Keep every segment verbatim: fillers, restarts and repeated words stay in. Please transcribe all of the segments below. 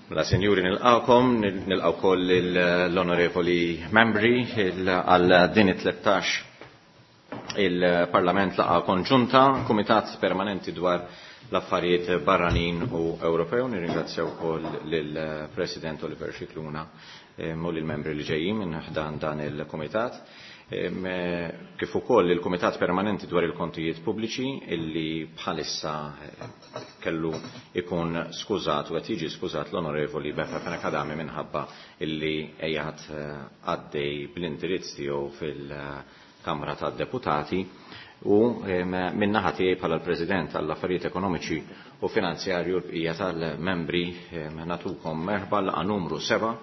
Mela, sinjuri, nilqawkom, nilqaw koll l-onorevoli membri għal din it-tlettax il-Parlament laqgħa konġunta, Kumitat Permanenti dwar l-Affarijiet Barranin u Ewropew. Nirringrazzjaw ukoll lill-President Oliver Scicluna u lill-membri li ġejjin minn ħdan dan il-Kumitat. Kif ukoll il-Kumitat Permanenti dwar il-Kontijiet Pubbliċi illi bħalissa kellu ikun skużat u qed jiġi skużat l-Onorevoli Beppe Fenech Adami minħabba illi qiegħed għaddej bl-indirizz tiegħu fil-Kamra tad-Deputati, u min-naħa tiegħi bħala l-President għall-Affarijiet Ekonomiċi u Finanzjarju l-bqija tal-membri natukom merħba laqgħa numru seba'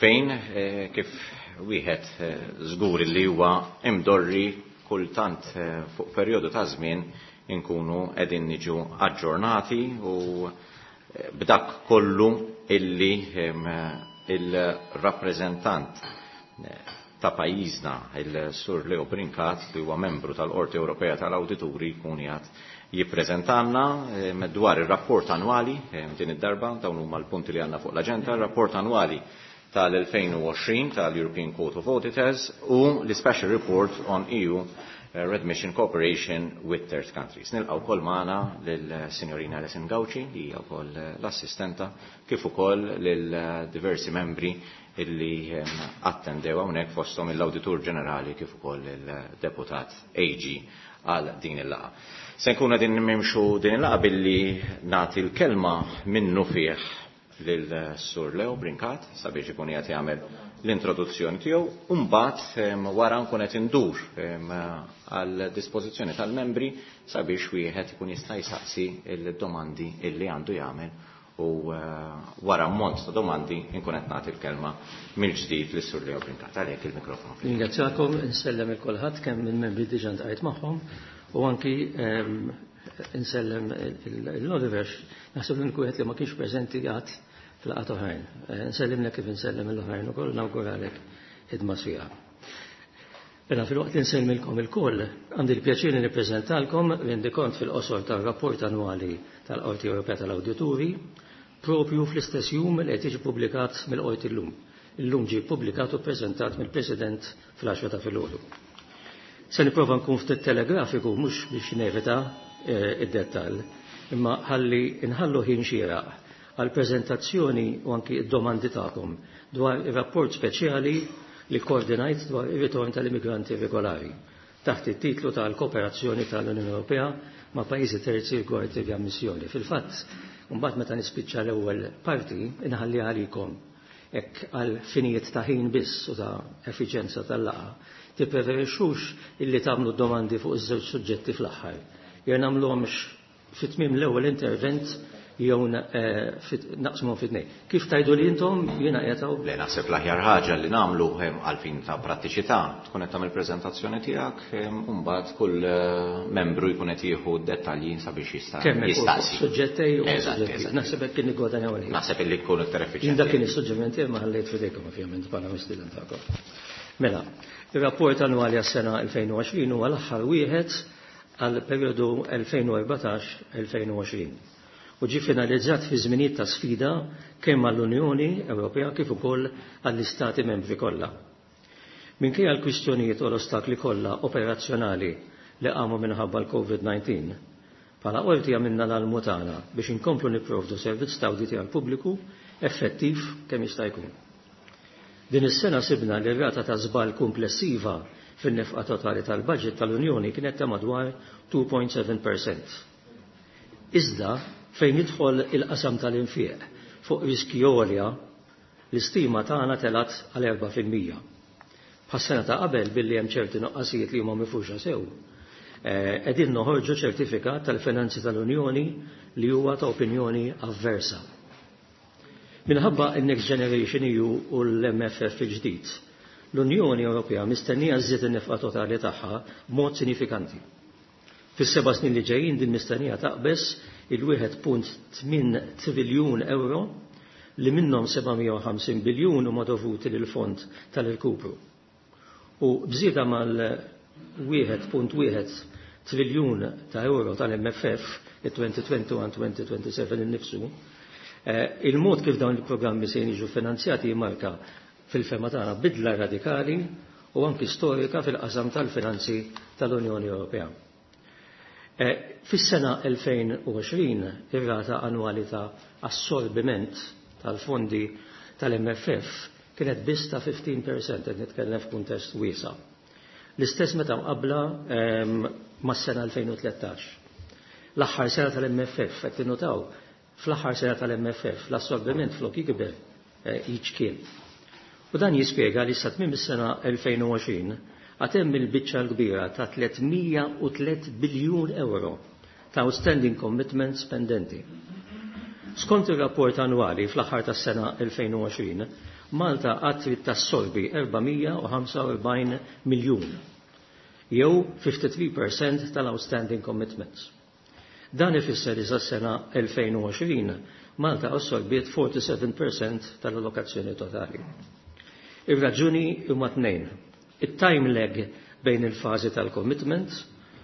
fejn kif wieħed żgur li huwa imdorri kultant fuq perjodu ta' żmien inkunu qegħdin niġu aġġornati u b'dak kollu illi il-rappreżentant ta' pajjiżna il-Sur Leo Brincat li huwa membru tal-Qorti Ewropea tal-Awdituri jkun qiegħed jippreżentanna dwar ir-rapport annwali din id-darba. Dawn huma l-punti li għandna fuq l-aġenda: ir-rapport annwali tal-elfejn u għoxrin tal-European Court of Auditors u l-Special Report on E U Readmission Cooperation with Third Countries. Nilqgħu wkoll magħna lill-Sinjorina Alison Gauci li hija wkoll l-assistenta, kif ukoll lil diversi membri illi attendew hawnhekk, fosthom l-Awditur Ġenerali kif ukoll il-Deputat A G għal din il-laqgħa. Se nkunu qegħdin nimxu din il-laqgħa billi nagħti l-kelma minnu fih lil Sur Leo Brincat sabiex ikun qiegħed jagħmel l-introduzzjoni tiegħu, u mbagħad wara nkun qed indur għal dispożizzjoni tal-membri sabiex wieħed ikun jista' jsaqsi l-domandi illi għandu jagħmel, u wara ammont ta' domandi nkun qed nagħti l-kelma mill-ġdid lis Sur Leo Brincat. Għalhekk il-mikrofonu. Ringrazzjakom, insellem il kulħadd kemm minn membri diġà ntqajt magħhom u anki insellem l-Oliver, naħseb li wieħed li ma kienx preżenti għad fil-laqgħat oħrajn. Nsellimlek kif insellem l-oħrajn ukoll, nawguralek ħidma sfiqa. Mela, fil-waqt li nsellmilkom ilkoll, għandi l-pjaċir li nippreżentalkom rendikont fil-qosor tar-rapport annwali tal-Qorti Ewropea tal-Awdituri, propju fl-istess jum li qed jiġi ppubblikat mill-Qorti llum. Illum ġie ppubblikat u ppreżentat mill-President fl-għaxra ta' filgħodu. Se nipprova nkun ftit telegrafiku mhux biex nevita id-dettall, imma ħalli nħallu ħin xieraq għal preżentazzjoni u anki id-domandi tagħkom dwar ir-rapport speċjali li koordinajt dwar ir-ritorn tal-immigranti regolari taħt it-titlu tal-kooperazzjoni tal-Unjoni Ewropea ma' pajjiżi terzi rigward ir-riammissjoni. Fil-fatt, mbagħad meta nispiċċa l-ewwel parti inħalli għalikom hekk għal finijiet ta' ħin biss u ta' effiċjenza tal-laqgħa, tippreferixxux illi tagħmlu domandi fuq iż-żewġ suġġetti fl-aħħar. Jew nagħmluhomx fi tmiem l-ewwel intervent jew naqsmu fi tnejn. Kif tajdu li intom jiena qiegħed hawn? Le, naħseb l-aħjar ħaġa li nagħmlu għal fin ta' prattiċità, tkun qed tagħmel preżentazzjoni tiegħek, u mbagħad kull membru jkun qed jieħu dettalji sabiex jista' Kemm hekk jistaqsi. Suġġetti u Eżatt, suġġetti. eżatt. Naħseb hekk kien nigwadanjaw il-ħin. Naħseb illi jkun iktar effiċjenti. Jien dak kien is-suġġeriment tiegħi ma ħallejt f'idejkom ovvjament bħala mistieden tagħkom. Mela, ir-rapport annwali għas-sena elfejn u għoxrin huwa l-aħħar wieħed għal perjodu elfejn u erbatax elfejn u għoxrin u ġie finalizzat fi żminijiet ta' sfida kemm għall-Unjoni Ewropea kif ukoll għall-Istati membri kollha. Minkejja l-kwistjonijiet u l-ostakli kollha operazzjonali li qamu minħabba l-COVID nineteen, bħala qorti għamilna l-almu tagħna biex inkomplu nipprovdu servizz ta' awditi għall-pubbliku effettiv kemm jista' jkun. Din is-sena sibna li r-rata ta' żball komplessiva fin-nefqa totali tal-budget tal-Unjoni kienet ta' madwar two point seven percent. Iżda fejn jidħol il-qasam tal-infieq fuq riski għolja, l-istima tagħna telat għal erba' fil-mija. Bħas-sena ta' qabel billi hemm ċerti noqqasijiet li huma mifruxa sew, eh, qegħdin noħorġu ċertifikat tal-finanzi tal-Unjoni li huwa ta' opinjoni avversa. Minħabba n-Next Generation E U u l-M F F il-ġdid, l-Unjoni Ewropea mistennija żżid in-nefqa totali tagħha b'mod sinifikanti. Fis-seba' snin li ġejjin din mistennija taqbeż il-wieħed punt tmien triljun euro li minnhom seba' mija u ħamsin biljun huma dovuti lil fond tal-irkupru. U bżieda mal-wieħed punt wieħed triljun ta' euro tal-M F F, il-twenty twenty-one twenty twenty-seven innifsu, Il-mod kif dawn il-programmi se jiġu finanzjati jimmarka fil-fehma tagħna bidla radikali u anki storika fil-qasam tal-finanzi tal-Unjoni Ewropea. Fis-sena elfejn u għoxrin ir-rata annwali ta' assorbiment tal-fondi tal-M F F kienet biss ta' fifteen percent, qed nitkellem f'kuntest wiesa'. L-istess meta mqabbla mas-sena elfejn u tlettax. L-aħħar sena tal-M F F, qed tinnutaw, fl-aħħar sena tal-M F F l-assorbiment flok jikber jiċkien. U dan jispjega li sa tmiem is-sena elfejn u għoxrin għad hemm il-biċċa l-kbira ta' tliet mija u tliet biljun euro ta' outstanding commitments pendenti. Skont ir-rapport annwali fl-aħħar tas-sena elfejn u għoxrin, Malta għad trid tassorbi erba' mija u ħamsa u erbgħin miljun, jew fifty-three percent tal-outstanding commitments. Dan ifisser li sas-sena elfejn u għoxrin Malta assorbiet forty-seven percent tal-allokazzjoni totali. Ir-raġuni huma tnejn. Il-time lag bejn il-fażi tal-commitment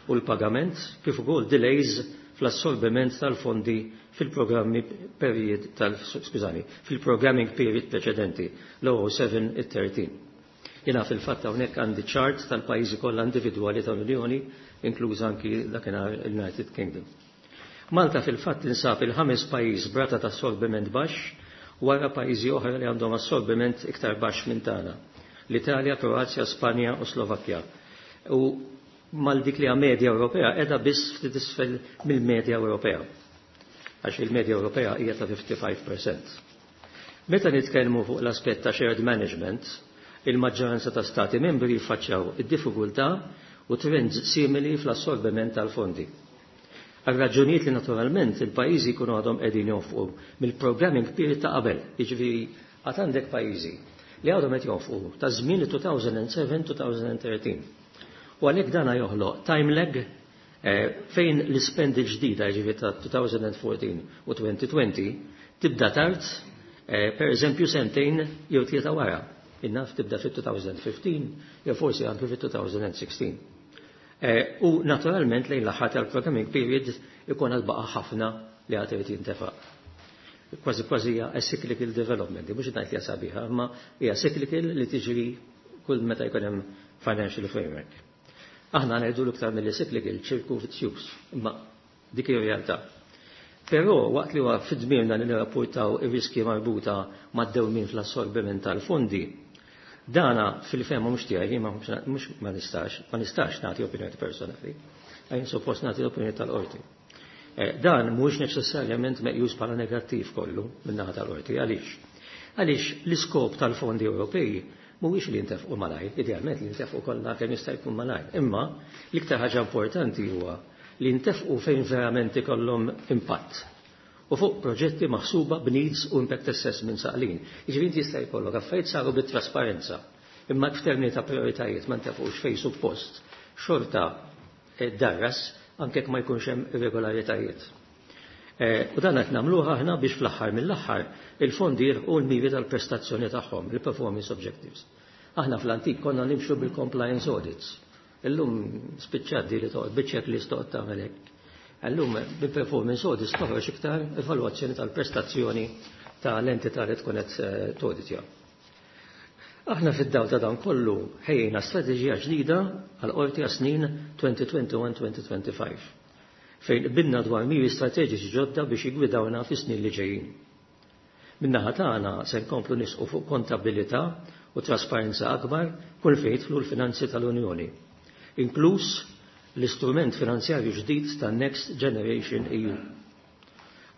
u l-pagament kif ukoll delays fl-assorbiment tal-fondi fil-programmi period tal, skużani, fil-programming period preċedenti, l-oh seven it thirteen. Jiena fil-fatt hawnhekk għandi ċart tal-pajjiżi kollha individwali tal-Unjoni, inkluż anki dakinhar il-United Kingdom. Malta fil-fatt tinsab il-ħames pajjiż b'rata ta' assorbiment baxx wara pajjiżi oħra li għandhom assorbiment iktar baxx minn tagħna. L-Italja, Kroazja, Spanja u Slovakkja. U mal dik li hija medja Ewropea qiegħda biss ftit isfel mill-medja Ewropea. Għax il-medja Ewropea hija ta' fifty-five percent. Meta nitkellmu fuq l-aspett ta' shared management, il-maġġoranza ta' stati membri jiffaċċjaw id-diffikultà u trends simili fl-assorbiment tal-fondi. Għal raġunijiet li naturalment il-pajjiżi jkunu għadhom qegħdin jonfqu mill-programming period ta' qabel, jiġifieri għad għandek pajjiżi li għadhom qed jonfqu ta' żmien two thousand and seven, two thousand and thirteen. U għalhekk dana joħloq time lag, eh, fejn l-ispendi ġdida, jiġifieri ta' two thousand and fourteen u twenty twenty, tibda tard, eh, per eżempju sentejn jew tlieta wara. Innaf tibda fit two thousand and fifteen jew forsi anke fit two thousand and sixteen. Eh, u naturalment lejn l-aħħar tal-programming period ikun għad baqa' ħafna li għad irid jintefaq. Kważi kważi hija a cyclical development, mhux ngħid li hija sabiħa, imma hija cyclical li tiġri kull meta jkun hemm financial framework. Aħna ngħidu l-iktar milli cyclical ċirku vizzjuż, imma dik hija realtà. Però waqt li huwa fid-dmirna li nirrapportaw ir-riski marbuta mad-dewmien fl-assorbiment tal-fondi, dana fil-fehma mhux tiegħi, ma mhux ma nistax, ma nistax nagħti opinjoni personali, għajn suppost nagħti opinjoni tal-qorti. Eh, dan mhux neċessarjament meqjus bħala negattiv kollu min-naħa tal-qorti. Għaliex? Għaliex l-iskop tal-fondi Ewropej mhuwiex li jintefqu malajr, idealment li jintefqu kollha kemm jista' jkun malajr, imma l-iktar ħaġa importanti huwa li jintefqu fejn verament ikollhom impatt. U fuq proġetti maħsuba b'needs u impact assessment saqlin. Jiġifieri inti jista' jkollok affarijiet saru bit-trasparenza, imma f'termini ta' prioritajiet ma ntefqux fejn suppost, xorta darras anke jekk ma jkunx hemm irregolaritajiet. Eh, u dan qed nagħmluha aħna biex fl-aħħar mill-aħħar il-fondi jilħqu l-miri tal-prestazzjoni tagħhom, il-performance objectives. Aħna fl-antik konna nimxu bil-compliance audits. Illum spiċċat di li toqgħod biċ-checklist toqgħod tagħmel hekk. Illum bil-performance audits toħroġ iktar evalwazzjoni tal-prestazzjoni tal-entità li tkun qed, eh, tawditja. Aħna fid-dawl ta' dan kollu ħejjejna strateġija ġdida għal qorti għas snin twenty twenty-one twenty twenty-five, fejn qbilna dwar miri strateġiċi ġodda biex jigwidawna fis-snin li ġejjin. Min-naħa tagħna se nkomplu nisqu fuq kontabilità u trasparenza akbar kull fejn jidħlu l-finanzi tal-Unjoni, inkluż l-istrument finanzjarju ġdid ta' Next Generation E U.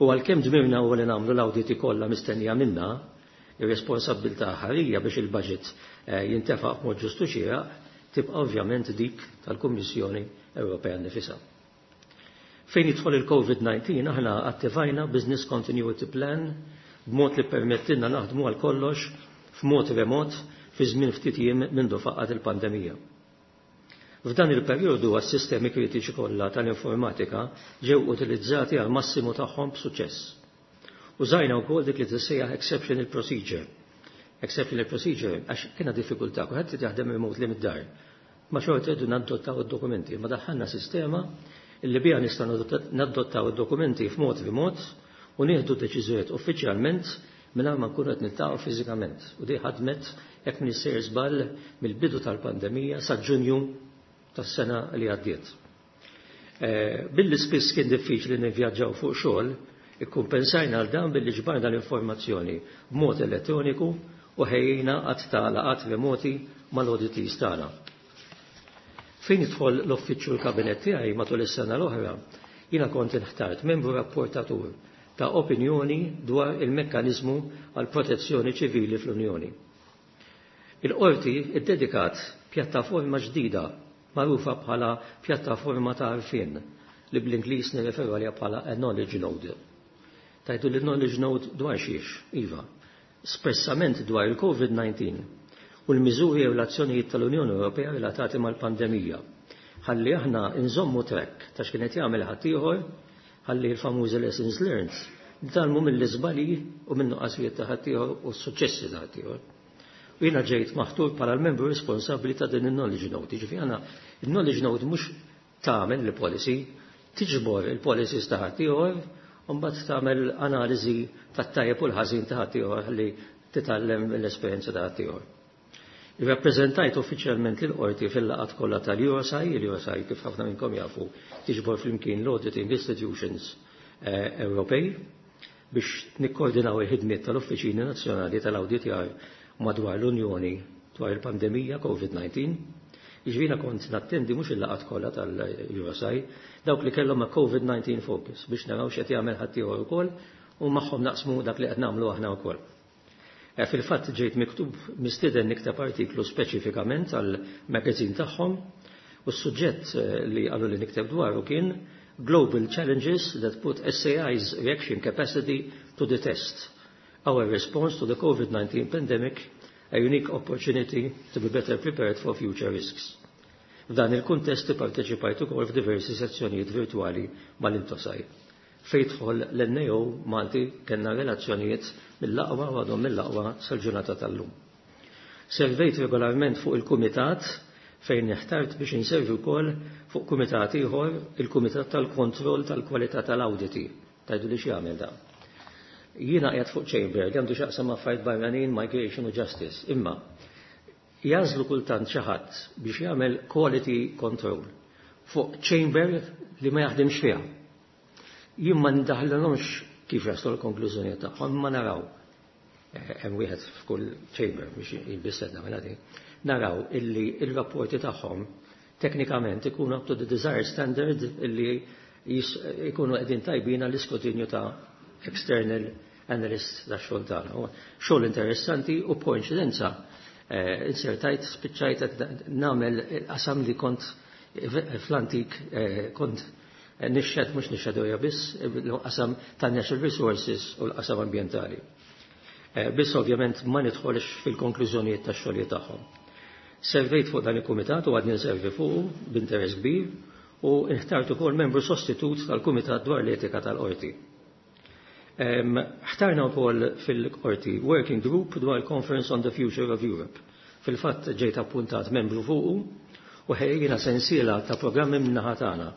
U għalkemm dmirna huwa li nagħmlu l-awditi kollha mistennija minna, ir-responsabbiltà ħarija biex il-budget, eh, jintefaq b'mod ġustu xieraq tibqa' ovvjament dik tal-Kummissjoni Ewropea nnifisha. Fejn jidħol il-COVID nineteen aħna attivajna Business Continuity Plan b'mod li permettilna naħdmu għal kollox f'mod remot fi żmien ftit jiem mindu faqqat il-pandemija. F'dan il-perjodu għas-sistemi kritiċi kollha tal-informatika ġew utilizzati għal massimu tagħhom b'suċċess. Użajna wkoll dik li tissejjaħ exceptional procedure. Exceptional procedure għax kienha diffikultà, kulħadd irid jaħdem remotely mid-dar. Ma xorta rridu nadottaw id-dokumenti, ma daħħalna sistema illi biha nistgħu nadottaw id-dokumenti f'mod remot u nieħdu deċiżjonijiet uffiċjalment mingħajr ma nkunu qed niltaqgħu fiżikament. U di ħadmet, jekk m'iniex sejjer żball, mill-bidu tal-pandemija sa Ġunju tas-sena li għaddiet. Eh, billi spiss kien diffiċli nivvjaġġaw fuq xogħol, ikkumpensajna għal dan billi ġbarna l-informazzjoni b'mod elettroniku u ħejjina għadd ta' laqgħat remoti mal-auditees tagħna. Fejn jidħol l-uffiċċju l-kabinet tiegħi, matul is-sena l-oħra, jiena kont inħtart membru rapportatur ta' opinjoni dwar il-mekkanizmu għal protezzjoni ċivili fl-Unjoni. Il-qorti iddedikat pjattaforma ġdida magħrufa bħala pjattaforma ta' għarfien, li bl-Ingliż nirreferu għaliha bħala a knowledge node. Tgħidu li knowledge node dwar xiex? Iva, espressament dwar il-COVID nineteen u l-miżuri u l-azzjonijiet tal-Unjoni Ewropea relatati mal-pandemija. Ħalli aħna nżommu track ta' x'kienet jagħmel ħaddieħor, ħalli l-famużi lessons learned nitgħallmu mill-iżbalji u minn nuqqasijiet ta' ħaddieħor u s-suċċessi ta' ħaddieħor. U jiena ġejt maħtur bħala l-membru responsabbli ta' din il-knowledge note. Ġifieri għana il-knowledge note mhux tagħmel il-policy, tiġbor il-policies ta' ħaddieħor u mbagħad tagħmel analiżi tat-tajjeb u l-ħażin ta' ħaddieħor ħalli titgħallem l-esperjenza ta' ħaddieħor. Irrappreżentajt uffiċjalment lill-qorti fil-laqgħat kollha tal-EUROSAI. Il-EUROSAI, kif ħafna minnkom jafu, tiġbor flimkien l-Auditing Institutions eh, Ewropej biex nikkoordinaw il-ħidmiet tal-Uffiċini Nazzjonali tal-Awditjar madwar l-Unjoni dwar il-pandemija COVID nineteen. Jiġifieri kont nattendi mhux il-laqgħat kollha tal-EUROSAI, dawk li kellhom ma' COVID nineteen focus, biex naraw x'qed jagħmel ħaddieħor ukoll u magħhom naqsmu dak li qed nagħmlu aħna wkoll. Eh, fil-fatt ġejt miktub mistieden nikteb artiklu speċifikament għal magazine tagħhom u s-suġġett eh, li qalu li nikteb dwaru kien "Global Challenges that put S A I's reaction capacity to the test. Our response to the COVID nineteen pandemic, a unique opportunity to be better prepared for future risks." F'dan il-kuntest parteċipajt ukoll f'diversi sezzjonijiet virtuali mal-INTOSAI. Fejn jidħol l-N A O Malti, kellna relazzjonijiet mill-aqwa u għadhom mill-aqwa sal-ġurnata tal-lum. Servejt regolarment fuq il-kumitat fejn inħtart biex inservi wkoll fuq kumitat ieħor, il-Kumitat tal-Kontroll tal-Kwalità tal-Awditi. Tgħidu li x'jagħmel da? Jiena qiegħed fuq chamber li għandu x'jaqsam affarijiet barranin, migration u justice. Imma jagħżlu kultant xi ħadd biex jagħmel quality control fuq chamber li ma jaħdimx fiha. Jien ma ndaħlilhomx kif jaslu l-konklużjoni tagħhom, ma naraw, eh, hemm wieħed f'kull chamber biex jibissedna mela din, naraw illi il-rapporti tagħhom teknikament ikunu up to the desired standard, illi ikunu qegħdin tajbin għall-iskrutinju ta' external analysts ta' xogħol tagħna. Xogħol interessanti u koinċidenza eh, insertajt spiċċajt nagħmel qasam li kont fl-antik eh, kont nixxed, mhux nixxed biss, l-qasam ta' natural resources u l-qasam ambientali. Eh, biss ovvjament ma nidħolx fil-konklużjonijiet tax-xogħlijiet tagħhom. Servejt fuq dan il-kumitat u għadni nservi fuq b'interess kbir u inħtart ukoll membru sostitut tal-Kumitat dwar l-Etika tal-Qorti. Ħtarna wkoll fil-qorti Working Group dwar Conference on the Future of Europe. Fil-fatt ġejt appuntat membru fuqu u ħejjina sensiela ta' programmi min-naħa tagħna.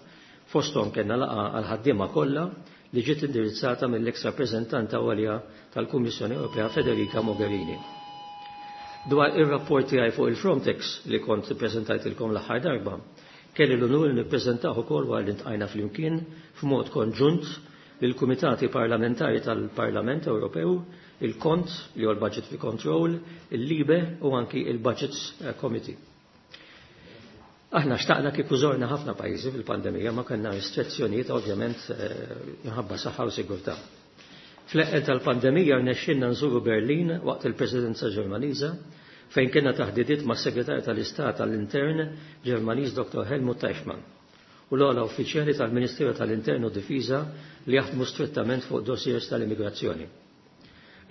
Fosthom kellna laqgħa għal-ħaddiema kollha li ġiet indirizzata mill-ex rappreżentanta għolja tal-Kummissjoni Ewropea Federica Mogherini. Dwar ir-rapport tiegħi fuq il-Frontex li kont ippreżentajtilkom l-aħħar darba, kelli l-unur li nippreżentaw ukoll wara li ltqajna flimkien f'mod konġunt lill-Kumitati Parlamentari tal-Parlament Ewropew, il-Kont li huwa l-Budget Control, il-LIBE u anki il-Budgets Committee. Aħna xtaqna kieku żorna ħafna pajjiżi fil-pandemija, ma kellna restrizzjonijiet ovvjament eh, minħabba saħħa u sigurtà. Fl-eqqel tal-pandemija rnexxinna nżuru Berlin waqt il-Presidenza Ġermaniża, fejn kellna taħdidiet ma' Segretarju tal-Istat tal-Intern Ġermaniż Doktor Helmut Teichmann u l-ogħla uffiċjali tal-Ministeru tal-Intern u Difiża li jaħdmu strettament fuq dossiers tal-immigrazzjoni.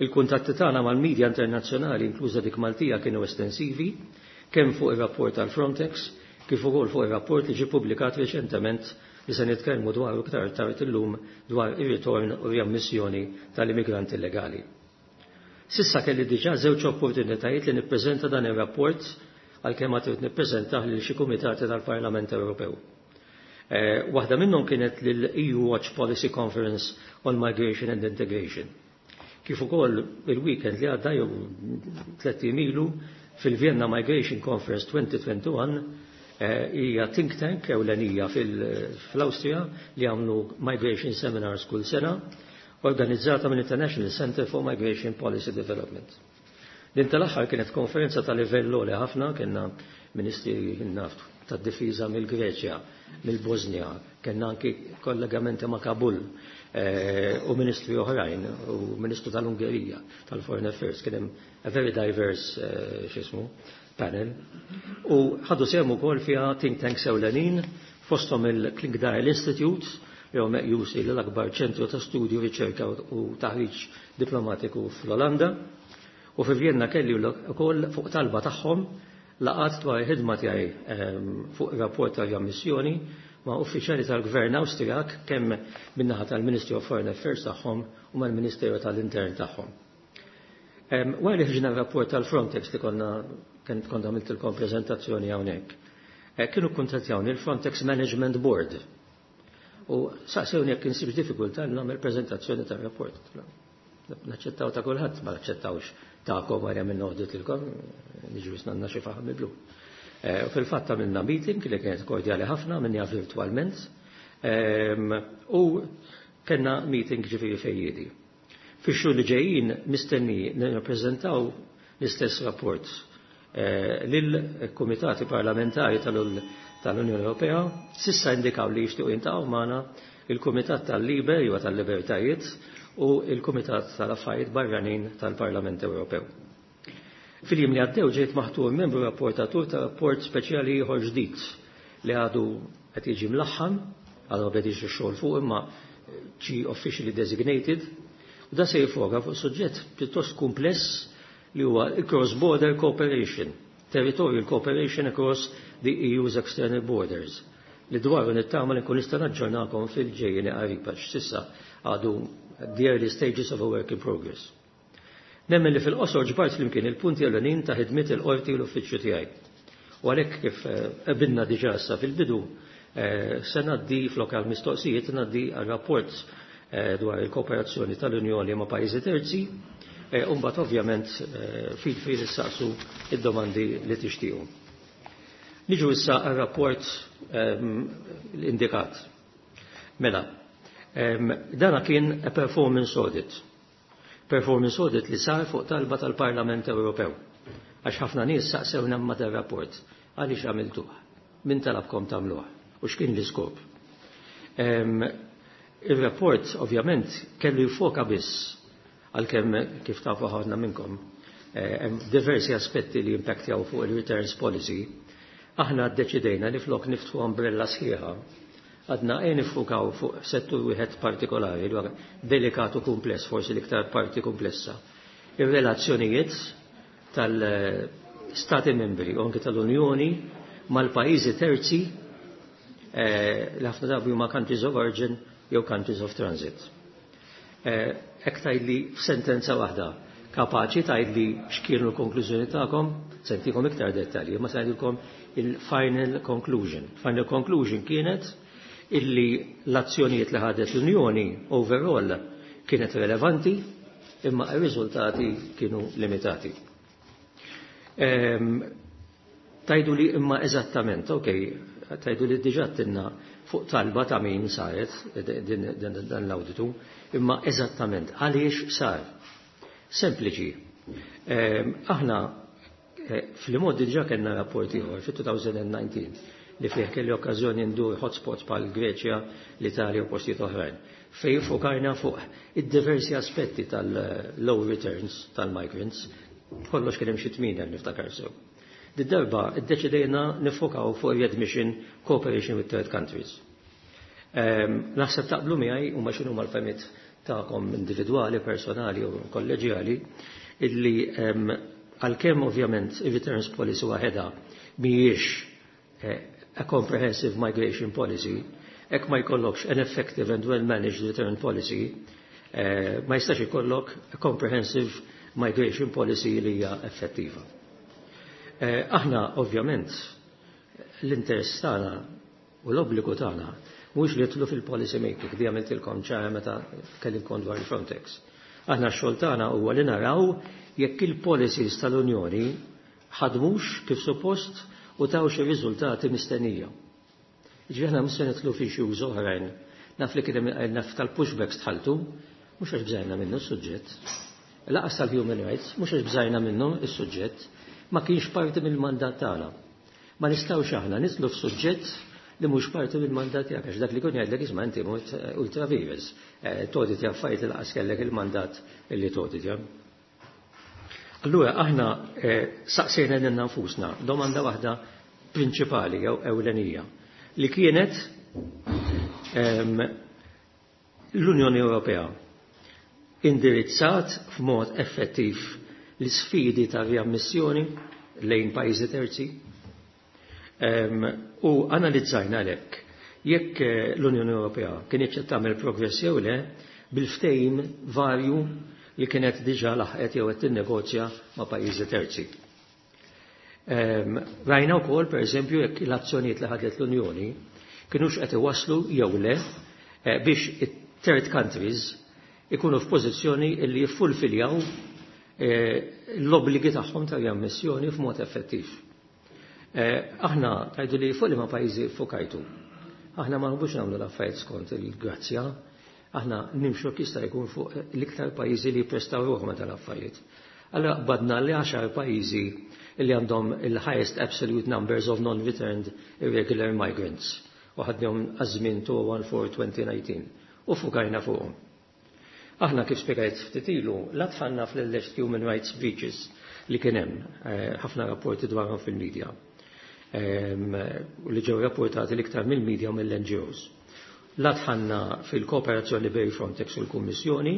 Il-kuntatti tagħna mal-medja internazzjonali, inkluża dik Maltija, kienu estensivi, kemm fuq ir-rapport tal-Frontex kif ukoll fuq ir-rapport li ġie publikat reċentement li se nitkellmu dwar iktar tard illum, dwar ir-ritorn u riammissjoni tal-immigranti illegali. S'issa kelli diġà żewġ opportunitajiet li nippreżenta dan ir-rapport, għalkemm ma trid nippreżentah lil xi kumitati tal-Parlament Ewropew. Eh, waħda minnhom kienet lill-E U Watch Policy Conference on Migration and Integration. Kif ukoll il-weekend li għadda jew tlett ilu fil-Vienna Migration Conference twenty twenty-one, eh, hija think tank ewlenija fl-Awstrija li għamlu migration seminars kull sena, organizzata mill International Center for Migration Policy Development. Din tal-aħħar kienet konferenza ta' livell li ħafna, kellna ministri naftu tad-difiża mill-Greċja, mill-Bosnia, kellna anki kollegamenti ma' Kabul eh, u ministri oħrajn u ministru tal-Ungerija tal-Foreign Affairs, kien hemm a very diverse eh, x'ismu panel. U ħadu sehem ukoll fiha think tanks ewlenin, fosthom il-Clingendael Institute, li huwa meqjus li l-akbar ċentru ta' studju, riċerka u taħriġ diplomatiku fl-Olanda. U fi Vienna kelli wkoll fuq talba tagħhom laqgħat dwar il-ħidma tiegħi ehm, fuq rapport ta' missjoni ma' uffiċjali tal-Gvern Awstrijak, kemm min-naħa tal-Ministry of Foreign Affairs tagħhom u mal-Ministeru tal-Intern tagħhom. Ehm, wara li ħriġna rapport tal-Frontex li konna kont kont għamiltilkom preżentazzjoni hawnhekk, eh, kienu kuntattjawni il-Frontex Management Board u saqsewni jekk insibx diffikultà nagħmel preżentazzjoni tar-rapport. Naċċettaw ta' kulħadd, ma naċċettawx ta'kom għarja minn audit lilkom, niġu jisnanna xi faħam blu. Eh, u fil-fatt għamilna meeting li kienet kordjali ħafna, minnha virtualment, ehm, u kellna meeting ġifieri fejjiedi. Fix-xhur li ġejjin mistenni nirrappreżentaw l-istess rapport eh, lill-Kumitati Parlamentari tal-Unjoni Ewropea. S'issa indikaw li jixtiequ jiltaqgħu magħna il-Kumitat tal-LIBE, jew tal-Libertajiet, u il-Kumitat tal-Affarijiet Barranin tal-Parlament Ewropew. Fil-jiem li għaddew ġejt maħtur membru rapportatur ta' rapport speċjali ieħor ġdid li għadu qed jiġi mlaħħam, għadu bedix ix-xogħol fuq imma ġi officially designated, u da se jiffoka fuq suġġett pjuttost kumpless li huwa cross-border cooperation, territorial cooperation across the E U's external borders, li dwaru nittama li nkun nista' naġġornakom fil-ġejjeni qarib għax s'issa għadu the early stages of a work in progress. Nemmen li fil-qosor ġbart flimkien il-punti ewlenin ta' ħidmiet il-qorti u l-uffiċċju tiegħi. U għalhekk, kif qbilna eh, diġà issa fil-bidu, eh, se ngħaddi flok għal mistoqsijiet ngħaddi għal rapport eh, dwar il-kooperazzjoni tal-Unjoni ma' pajjiżi terzi, u mbagħad ovvjament feel free issaqsu id-domandi li tixtiequ. Niġu issa għal-rapport ehm, l-indikat. Mela, ehm, dana kien a performance audit. Performance audit li sar fuq talba tal-Parlament Ewropew. Għax ħafna nies saqsewna ma rapport. Għaliex għamiltuh? Min talabkom tagħmluh? U x'kien l-iskop? Ehm, il-rapport ovvjament kellu jfoka biss, għalkemm kif tafu ħafna minnkom eh, hemm diversi aspetti li impaktjaw fuq il-returns policy. Aħna ddeċidejna li flok niftħu umbrella sħiħa, għadna e nifukaw fuq settur wieħed partikolari li delikat u kumpless, forsi l-iktar parti komplessa. Ir-relazzjonijiet tal-Stati membri u anke tal-Unjoni mal-pajjiżi terzi eh, li ħafna drabi huma countries of origin jew countries of transit. Hekk tgħidli f'sentenza waħda, kapaċi tgħidli x'kienu l-konklużjoni tagħkom, se ntikom iktar dettalji, ma se ngħidilkom il-final conclusion. Final conclusion kienet illi l-azzjonijiet li ħadet l-Unjoni overall kienet relevanti, imma ir-riżultati kienu limitati. Ehm, tajdu li imma eżattament, ok, tajdu li diġà tinna fuq talba ta' min saret dan l-auditu, imma eżattament għaliex sar? Sempliċi. Ehm, aħna eh, fil-mod diġà kellna rapport ieħor fit-twenty nineteen li fih kelli okkażjoni ndur hotspots bħal Greċja, l-Italja u postijiet oħrajn, fej fokajna fuq id-diversi aspetti tal-low returns tal-migrants, kollox kien hemm xi tmien niftakar sew. Did-darba iddeċidejna nifokaw fuq readmission cooperation with third countries. Ehm, naħseb taqblu miegħi, u ma x'inhu mal-fehmiet tagħkom individwali, personali u kolleġjali, illi ehm, għalkemm ovvjament ir-returns policy waħedha mhijiex eh, a comprehensive migration policy, hekk ma jkollokx an effective and well-managed return policy, eh, ma jistax ikollok a comprehensive migration policy li hija effettiva. Eh, aħna ovvjament l-interess tagħna u l-obbligu tagħna mhux li nidħlu fil-policy making, di għamiltilkom ċara meta kellimkom dwar il-Frontex. Aħna x-xogħol tagħna huwa li naraw jekk il-policies tal-Unjoni ħadmux kif suppost u tawx ir-riżultati mistennija. Ġifieri aħna mhux se nidħlu fi issues oħrajn. Naf li kien naf tal-pushbacks dħaltu, mhux għax bżajna minnu s-suġġett. Lanqas tal-human rights, mhux għax bżajna minnu s-suġġett, ma kienx parti mill-mandat tagħna. Ma nistgħux aħna nidħlu f'suġġett li mhux parti mill-mandat tiegħek, għax dak li kun jgħidlek, "Isma', inti mort ultra vires, toditja affarijiet li lanqas kellek il-mandat illi toditja." Allura aħna saqsejna lilna nfusna domanda waħda prinċipali jew ewlenija li kienet: l-Unjoni Ewropea indirizzat f'mod effettiv l-sfidi ta' riammissjoni lejn pajjiżi terzi? U analizzajna lek jekk l-Unjoni Ewropea kienet qed tagħmel progress jew le bil-ftehim varju li kienet diġà laħqet jew qed tinnegozja ma' pajjiżi terzi. Rajna wkoll, pereżempju, jekk l-azzjonijiet li ħadet l-Unjoni kienux qed iwasslu jew le eh, biex it-third countries ikunu f'pożizzjoni li jiffulfiljaw eh, l-obbligi tagħhom ta' riammissjoni f'mod effettiv. Eh, aħna tgħidu li fuq li ma' pajjiżi fokajtu. Aħna ma nħobbux nagħmlu l-affarijiet skont il-grazzja, aħna nimxu jista' jkun fuq l-iktar pajjiżi li jipprestaw ruħhom tal-affarijiet. Allora badna li għaxar pajjiżi li għandhom il-highest absolute numbers of non-returned irregular migrants u ħadnihom għaż-żmien two one four twenty nineteen u fukajna fuqhom. Aħna, kif spjegajt ftit ilu, la dħalna fl-alleged human rights breaches li kien hemm eh, ħafna rapporti dwarhom fil-medja u li ġew rapportati l-iktar mill-medja u mill-N G Os. La dħalna fil-kooperazzjoni bejn Frontex u l-Kummissjoni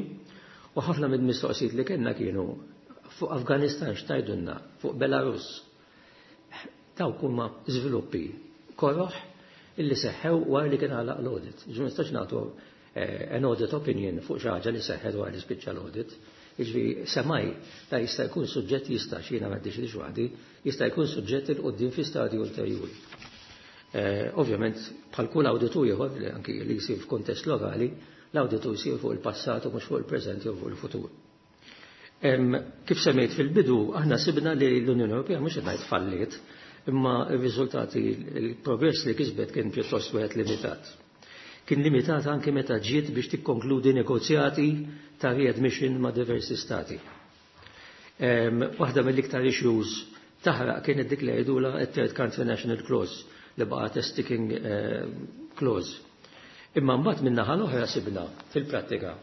u ħafna mill-mistoqsijiet li kellna kienu fuq Afganistan, x'tgħidulna, fuq Belarus. Dawk huma żviluppi koroħ illi seħħew wara li kien għalaq l-audit. Ġi nistax nagħtu eh, an audit opinion fuq xi ħaġa li seħħet wara li spiċċa l-audit. Jiġifieri semmai da jista' jkun suġġett, jista' xina ma ddeċidix waħdi, jista' jkun suġġett 'il quddiem fi stadju ulterjuri. Eh, ovvjament, bħal kull awditur ieħor li anki li jsir f'kuntest lokali, l-awditur jsir fuq il-passat u mhux fuq il-preżent jew fuq il-futur. Kif semmejt fil-bidu, aħna sibna li l-Unjoni Ewropea mhux qed ngħid falliet, imma r-riżultati, il-progress li kisbet kien pjuttost wieħed limitat. Kien limitat anke meta ġiet biex tikkonkludi negozjati ta' readmission ma' diversi stati. Waħda mill-iktar issues taħraq kienet dik li jgħidula third country national clause li baqgħet sticking eh, clause. Imma mbagħad min-naħa l-oħra sibna fil-prattika.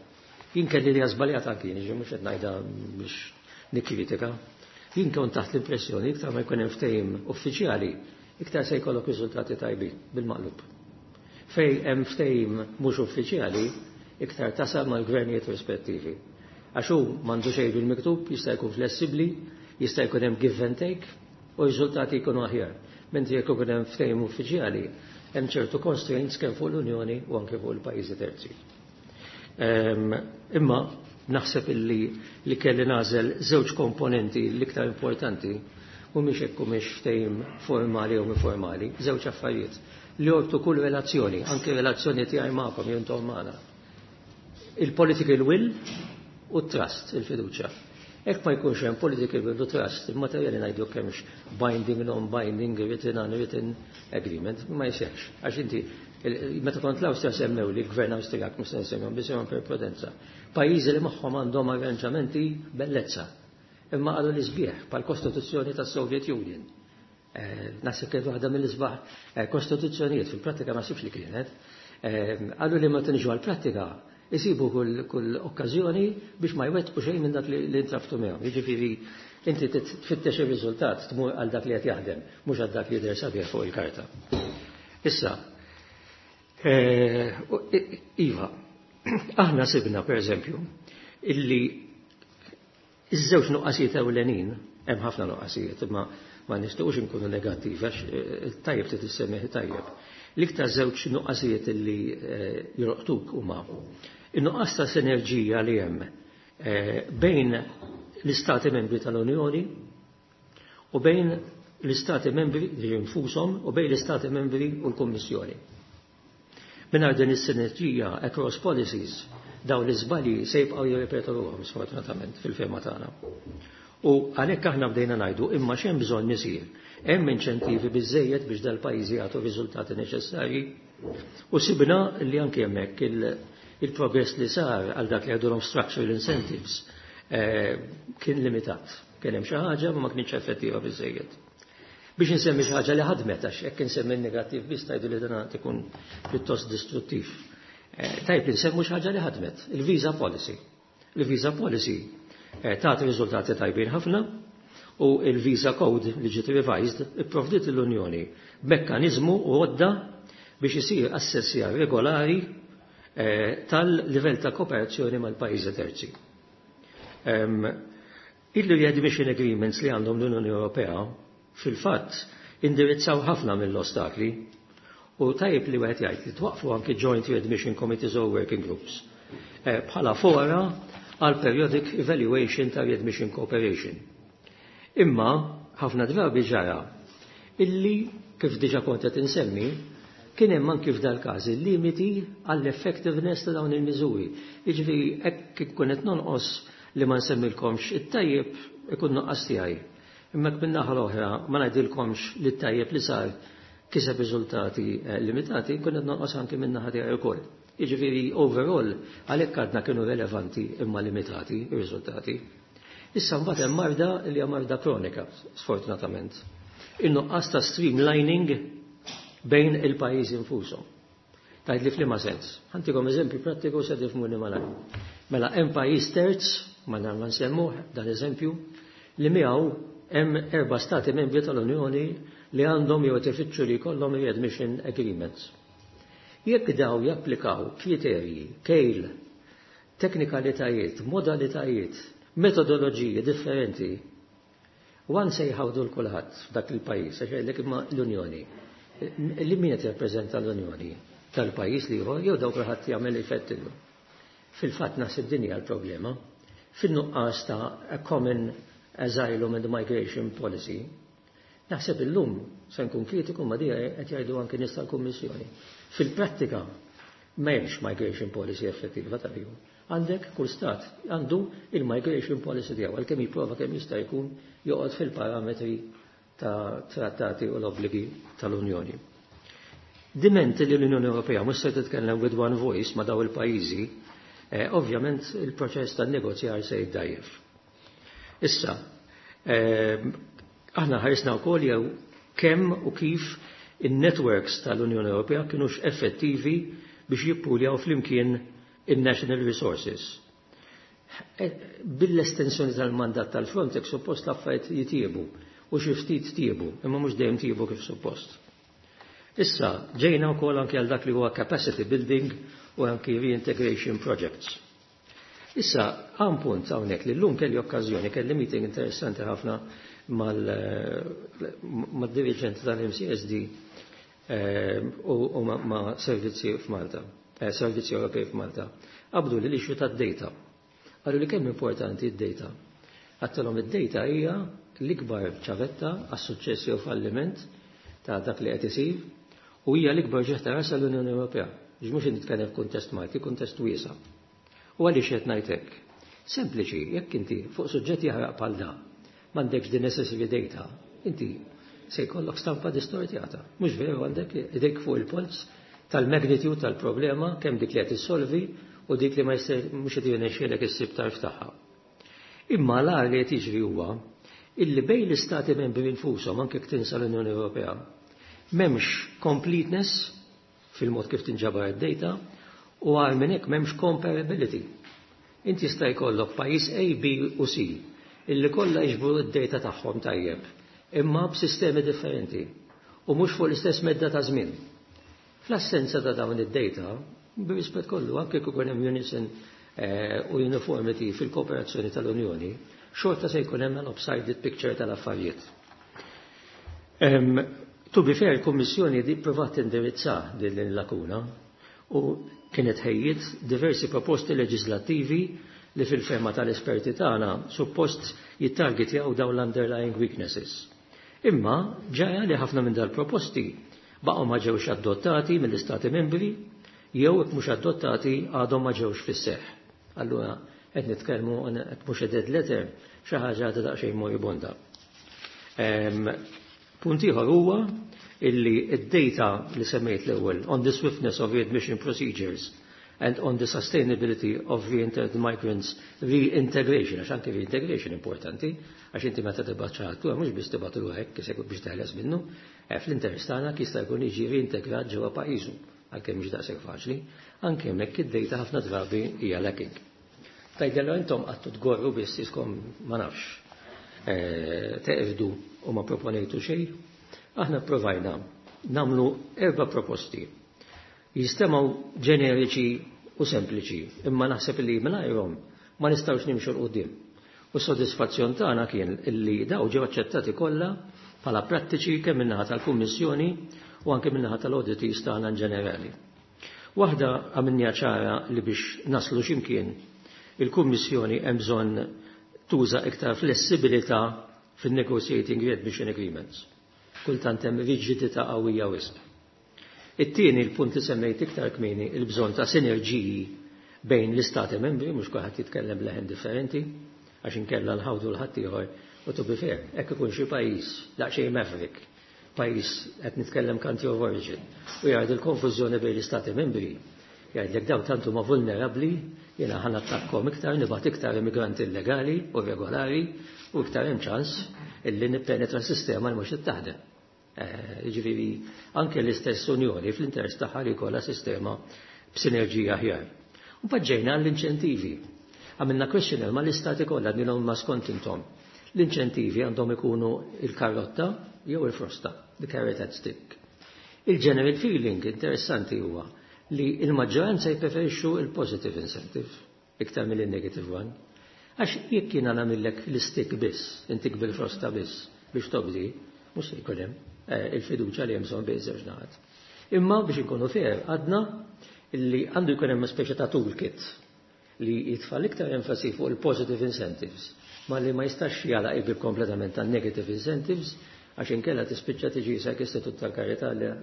Jien kelli li żbaljat anki, jiġi mhux qed ngħidha biex nikkritika. Jien kont taħt l-impressjoni iktar ma jkun hemm ftehim uffiċjali, iktar se jkollok riżultati tajbin, bil-maqlub. Fej hemm ftehim mhux uffiċjali, iktar tasal mal-gvernijiet rispettivi. Għax hu m'għandu xejn bil-miktub, jista' jkun flessibbli, jista' jkun hemm give and take u r-riżultati jkunu aħjar. Mentri jekk ikun hemm ftehim uffiċjali, hemm ċertu constraints kemm fuq l-Unjoni u anke fuq il-pajjiżi terzi. Imma naħseb illi li kelli nagħżel żewġ komponenti l-iktar importanti mhumiex hekk mhux ftehim formali u informali, żewġ affarijiet li jorbtu kull relazzjoni, anke relazzjoni tiegħi magħkom jew intom magħna. Il-political will u trust, il-fiduċja. Jekk ma jkunx hemm political will u trust, il-materjali ngħidu kemmx binding, non-binding, written, unwritten agreement, ma jsirx. Għax inti, meta kont l-Awstrija semmew li l-gvern Awstrijak, mhux se nsemmihom biss per prudenza. Pajjiżi li magħhom għandhom arranġamenti bellezza. Imma qalu li sbieħ pal-Kostituzzjoni tas-Soviet Union. Eh, naħseb kienet waħda mill-isbaħ eh, kostituzzjonijiet, fil-prattika ma sibx li kienet. Eh, qalu li meta niġu għall-prattika jisibu kull, kull okkażjoni biex ma jwettqu xejn minn dak li, li intrabtu miegħu. Jiġifieri inti tfittex ir-riżultat, tmur għal dak li qed jaħdem, mhux għal dak li jidher sabiħ fuq il-karta. Issa, eh, iva, aħna sibna per eżempju illi iż-żewġ nuqqasijiet ewlenin, hemm ħafna nuqqasijiet, imma ma nistgħux inkunu negattivi għax eh, tajjeb trid issemmih tajjeb. L-iktar żewġ nuqqasijiet illi eh, jolqtuk huma in-nuqqas ta' sinerġija li hemm eh, bejn l-istati membri tal-Unjoni u bejn l-Istati membri li nfushom u bejn l-Istati membri u l-Kummissjoni. Mingħajr din is-sinerġija across policies, dawn l-iżbalji se jibqgħu jirripetu ruħhom, sfortunatament, fil-fehma tagħna. U għalhekk aħna bdejna ngħidu, imma x'hemm bżonn isir? Hemm inċentivi biżejjed biex dal-pajjiżi jagħtu riżultati neċessarji? U sibna li anke hemmhekk il-progress li sar għal dak li għadulhom structural incentives eh, kien limitat. Kien hemm xi ħaġa, ma kienx effettiva biżejjed. Biex insemmi xi ħaġa li ħadmet, għax hekk insemmi negattiv biss tgħidu li dan ikun pjuttost distruttiv. Eh, tajb li nsemmu xi ħaġa li ħadmet, il-visa policy. Il-visa policy eh, tagħti riżultati tajbin ħafna u il-visa code li ġiet revised ipprovdiet l-Unjoni b'mekkaniżmu u għodda biex isir assessjar regolari eh, tal-livell ta' kooperazzjoni mal-pajjiżi terzi. Il-readmission agreements li għandhom l-Unjoni Ewropea fil-fatt indirizzaw ħafna mill-ostakli u tajib li wieħed jgħid li twaqfu anke joint readmission committees or working groups eh, bħala fora għal periodic evaluation ta' readmission cooperation. Imma ħafna drabi ġara illi, kif diġa kont qed insemmi, kien hemm anki f'dal każ limiti għall-effectiveness ta' dawn il-miżuri. Jiġifieri hekk ikun qed nonqos li ma nsemmilkomx it-tajjeb, ikun nuqqas tiegħi. Imma min-naħa l-oħra ma ngħidilkomx li t-tajjeb li sar kiseb riżultati eh, limitati, nkun qed nonqos anki min-naħa tiegħi wkoll. Jiġifieri overall għalhekk għadna kienu relevanti imma limitati ir-riżultati. Issa mbagħad hemm marda li hija marda kronika, sfortunatament. In-nuqqas ta' streamlining bejn il-pajjiżi nfushom. Tgħid li f'liema sens? Ħa ntikom eżempju prattiku se tifhmuni malajr. Mela hemm pajjiż terz, ma ma nsemmuh dan eżempju, li miegħu hemm erba' stati membri tal-Unjoni li għandhom jew tifittxu li jkollhom readmission agreements. Jekk daw japplikaw kriterji, kejl, teknikalitajiet, modalitajiet, metodoloġiji differenti, wan se jħawdu l-kulħadd f'dak il-pajjiż, għax jgħidlek, imma l-Unjoni. Li min qed jirrappreżenta l-Unjoni tal-pajjiż li ieħor jew dawk kulħadd jagħmel jfettillu? Fil-fatt naħseb din hija l-problema. Fin-nuqqas ta' a common asylum and migration policy, naħseb illum se nkun kritiku, ma dija qed jgħidu anke nies tal-Kummissjoni. Fil-prattika m'hemmx migration policy effettiva tal-ju. Għandek kull stat għandu il-migration policy tiegħu, għalkemm jipprova kemm jista' jkun joqgħod fil-parametri ta' trattati u l-obbligi tal-Unjoni. Diment li l-Unjoni Ewropea mhux se titkellem with one voice ma' daw il-pajjiżi, eh, ovvjament il-proċess tan-negozjar se jiddajjef. Issa, eh, aħna ħarisna wkoll jew kemm u kif in-networks tal-Unjoni Ewropea kienux effettivi biex jippuljaw flimkien in-national resources. Eh, bil-estensjoni tal-mandat tal-Frontex suppost l-affarijiet jitjiebu u xi ftit tjiebu, imma mhux dejjem tjiebu kif suppost. Issa, ġejna wkoll anke għal dak li huwa capacity building u anki reintegration projects. Issa, għan punt hawnhekk li llum kelli okkażjoni, kelli meeting interessanti ħafna mal-dirigent tal-M C S D eh, u ma' servizzi f'Malta, eh, servizzi Ewropej f'Malta. Qabdu li l-issue tad-data. Qalu li kemm importanti id-data. Għedtilhom id-data hija l-ikbar ċavetta għas-suċċess jew falliment ta' dak li qed isir u hija l-ikbar uġigħ ta' ras l-Unjoni Ewropea. Ġ mhux nitkellem f'kuntest Malti, kuntest wiesa'. U għaliex qed ngħid hekk? Sempliċi, jekk inti fuq suġġett jaħraq bħal da, m'għandekx di necessary data, inti se jkollok stampa distortjata. Mhux veru, għandek idek fuq il-polz tal-magnitude tal-problema, kemm dik li qed issolvi u dik li ma mhux qed jirnexxielek issib tarf tagħha. Imma l li qed jiġri huwa illi bejn l-istati membri infushom, anke tinsa l-Unjoni Ewropea, m'hemmx completeness fil-mod kif tinġabar id-data u għal minn hekk m'hemmx comparability. Inti jista' jkollok pajjiż A, B u C illi kollha jiġbru d-data tagħhom tajjeb, imma b'sistemi differenti u mhux fuq l-istess medda ta' żmien. Fl-assenza ta' dawn id-data, b'rispett kollu, anke jekk hemm unison eh, u uniformity fil-kooperazzjoni tal-Unjoni, xorta se jkun hemm lopsided picture tal-affarijiet. To be fair, il-Kommissjoni di provat tindirizza din il-lakuna u kienet ħejjiet diversi proposti leġislattivi li fil-fehma tal-esperti tagħna suppost jittargetjaw dawn l-underlying weaknesses. Imma ġara li ħafna minn dal-proposti baqgħu ma ġewx adottati mill-Istati membri jew jekk mhux adottati għadhom ma ġewx fis-seħħ. Allura qed nitkellmu qed mhux a dead letter, xi ħaġa għadha daqsxejn moribonda. Punt ieħor huwa illi id-data li semmejt l-ewwel on the swiftness of readmission procedures and on the sustainability of re-entered migrants reintegration, għax anke reintegration importanti, għax inti meta tibgħat xi ħadd mhux biss tibgħatlu hekk isek biex teħles minnu, eh, fl-interess tagħna jista' jkun jiġi reintegrat ġewwa pajjiżu, għalkemm mhux daqshekk faċli, anke hemmhekk id-data ħafna drabi hija lacking. Tgħidlu intom qgħadtu tgorru biss iskom ma nafx eh, teqfdu u ma proponejtu xejn. Aħna provajna nagħmlu erba' proposti. Jistemgħu ġeneriċi u sempliċi, imma naħseb li mingħajrhom ma nistgħux nimxu 'l quddiem. U s-sodisfazzjon tagħna kien illi daw ġew aċċettati kollha bħala prattiċi kemm min-naħa tal-Kummissjoni u anke min-naħa tal-auditees tagħna in ġenerali. Waħda għamilna ċara li biex naslu x'imkien il-Kummissjoni hemm bżonn tuża iktar flessibilità fin-negotiating readmission agreements. Kultant hemm riġidità qawwija wisq. It-tieni, il-punt li semmejt iktar kmieni, il-bżonn ta' sinerġiji bejn l-istati membri, mhux kulħadd jitkellem leħen differenti, għax inkella nħawdu 'l ħaddieħor u to be fair, hekk ikun xi pajjiż daqsxejn maverick, pajjiż qed nitkellem country of origin, u jgħid il-konfużjoni bejn l-istati membri, jgħidlek daw tantu ma vulnerabbli, jiena ħa nattakkom iktar, nibgħat iktar immigranti illegali u regolari u iktar hemm ċans illi nippenetra sistema li mhux taħdem. Eh, jiġifieri anke l-istess Unjoni fl-interess tagħha li jkollha sistema b'sinerġija aħjar. U ġejna l-inċentivi. Għamilna questionnaire ma l-istati kollha għednielhom ma skont intom. L-inċentivi għandhom ikunu il-karotta jew il-frosta, the carrot and stick. Il-general feeling interessanti huwa li il-maġġoranza jippreferixxu il-positive incentive iktar mill-negative one. Għax jekk jiena nagħmillek l-stick biss, intik bil-frosta biss biex tobdi, mhux se jkun hemm eh, il-fiduċja li hemm bżonn bejn żewġ naħat. Imma biex inkunu fair, għadna li għandu jkun hemm speċi ta' toolkit li jitfa' iktar enfasi fuq il-positive incentives, ma li ma jistax jagħlaq il-bieb kompletament tan negative incentives, għax inkella tispiċċa tiġi sak istitut tal-karità li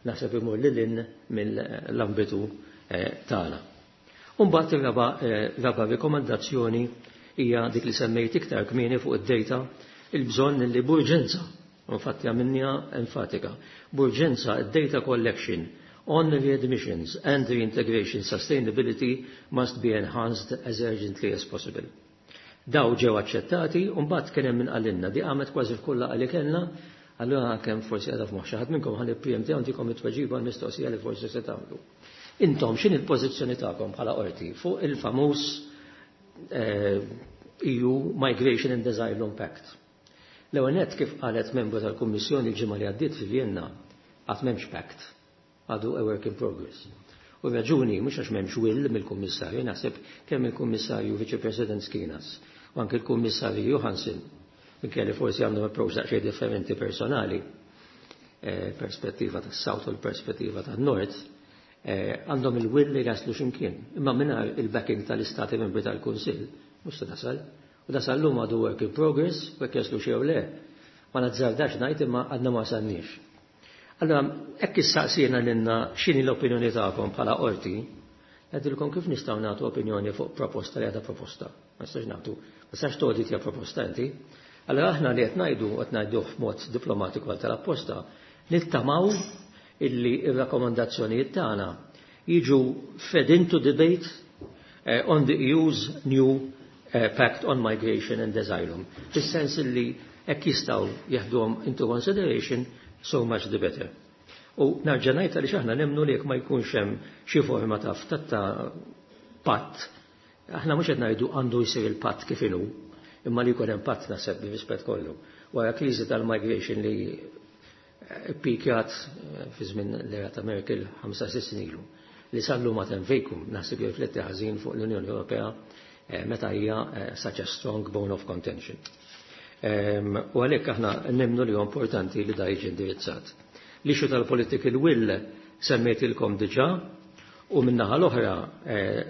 naħseb imur lil hinn mill-ambitu eh, tagħna. Umbagħad ir-raba eh, raba rikomandazzjoni hija dik li semmejt iktar kmieni fuq id-data, il-bżonn li b'urġenza, infatti għamilniha enfatika, b'urġenza id-data collection on readmissions and reintegration sustainability must be enhanced as urgently as possible. Daw ġew aċċettati u mbagħad kien hemm min qalilna di qamet kważi f'kull laqgħa li kellna, allura kemm forsi qiegħda f'moħħ xi ħadd minnkom ħalli P M T għandikom it-tweġiba l-mistoqsija li forsi se tagħmlu. Intom x'in il-pożizzjoni tagħkom bħala qorti fuq il-famuż eh, E U Migration and Asylum Pact? L-ewwel nett, kif qalet membru tal-Kummissjoni l-ġimgħa li għaddiet fi Vienna, qatt m'hemmx pact, għadu a work in progress. U raġuni mhux għax m'hemmx will mill-Kummissarju, naħseb kemm il-Kummissarju Viċi President Skinas u anke il-Kummissarju Johansson, minkejja li forsi għandhom approach daqsxejn differenti personali, eh, perspettiva tas-South u l-perspettiva tan-Nord, eh, għandhom il-will li jaslu x'imkien. Imma mingħajr il-backing tal-Istati membri tal-Kunsill, mhux se tasal. U dasal l għadu work in progress, u jekk jaslu xew le. Ma nazzardax ngħid imma għadna ma wasalniex. Allora, hekk issaqsina lilna x'inhi l-opinjoni tagħkom bħala qorti, ngħidilkom kif nistgħu nagħtu opinjoni fuq proposta li għadha proposta. Ma nistax nagħtu, ma nistax tgħodit hija proposta inti. Allora aħna li qed ngħidu qed ngħiduh f'mod diplomatiku għal tal-apposta, nittamaw illi ir-rakkomandazzjonijiet tagħna jiġu fed into debate uh, on the E U's new uh, Pact on Migration and Asylum. Fis-sens illi hekk jistgħu jeħduhom into consideration, so much the better. U nerġa' ngħid għaliex aħna nemmnu li jekk ma jkunx hemm xi forma ta' ta' patt, aħna mhux qed ngħidu għandu jsir il-patt kif inhu, imma li jkun hemm patt naħseb bir-rispett kollu. Wara kriżi tal-migration li pikjat fi żmien l-era ta' Merkel ħamsa sitt snin ilu, li sallu ma tem vacuum, naħseb jirrifletti ħażin fuq l-Unjoni Ewropea eh, meta hija eh, such a strong bone of contention. U għalhekk aħna nemmnu li huwa importanti li da jiġi indirizzat. L-issue tal-political will semmejtilkom diġà u min-naħa l-oħra eh,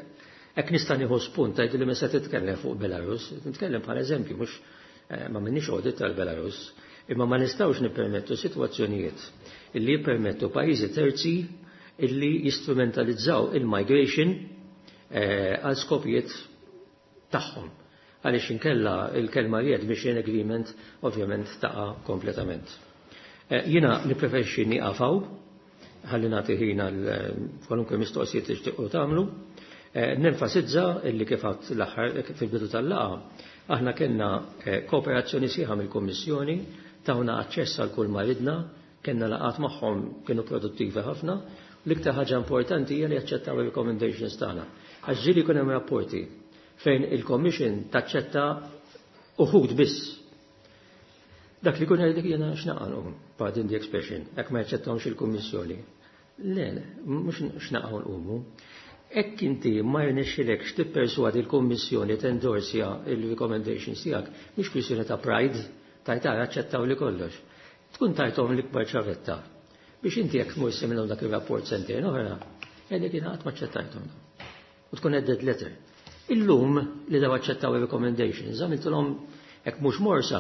hekk nista' nieħu spunt tgħidu li meta titkellem fuq Belarus, nitkellem bħala eżempju mhux ma minnix audit tal-Belarus. Imma ma nistgħux nippermettu sitwazzjonijiet illi jippermettu pajjiżi terzi illi jistrumentalizzaw il-migration eh, għal skopijiet tagħhom. Għaliex inkella il-kelma readmission agreement ovvjament taqa' kompletament. Eh, jiena nippreferixxi nieqaf hawn, ħalli nagħti ħin għal eh, kwalunkwe mistoqsijiet li tixtiequ tagħmlu. Eh, nenfasizza illi kif għedt l-aħħar fil-bidu tal-laqgħa, aħna kellna kooperazzjoni sħiħa mill-Kummissjoni, tawna aċċess għal kull ma ridna, kellna laqgħat magħhom kienu produttivi ħafna. L-iktar ħaġa importanti hija li jaċċettaw il-recommendations tagħna. Għax ġieli jkun hemm rapporti fejn il-Commission taċċetta uħud biss. Dak li kun jgħidlek jiena x'naqgħu, pardon the expression, jekk ma jaċċettawx il-Kummissjoni. Le, mhux x'naqgħu nqumu. Jekk inti ma jirnexxilekx tipperswadi l-Kummissjoni tendorsja il-recommendations tiegħek, mhix kwistjoni ta' pride, tajta aċċettaw li kollox. Tkun tajthom l-ikbar ċavetta. Biex inti jekk tmur minnhom dak ir-rapport sentejn oħra, jgħidlek jiena qatt ma aċċettajthom. U tkun dead letter. Illum li daw aċċettaw il-recommendations, għamiltulhom hekk mhux morsa,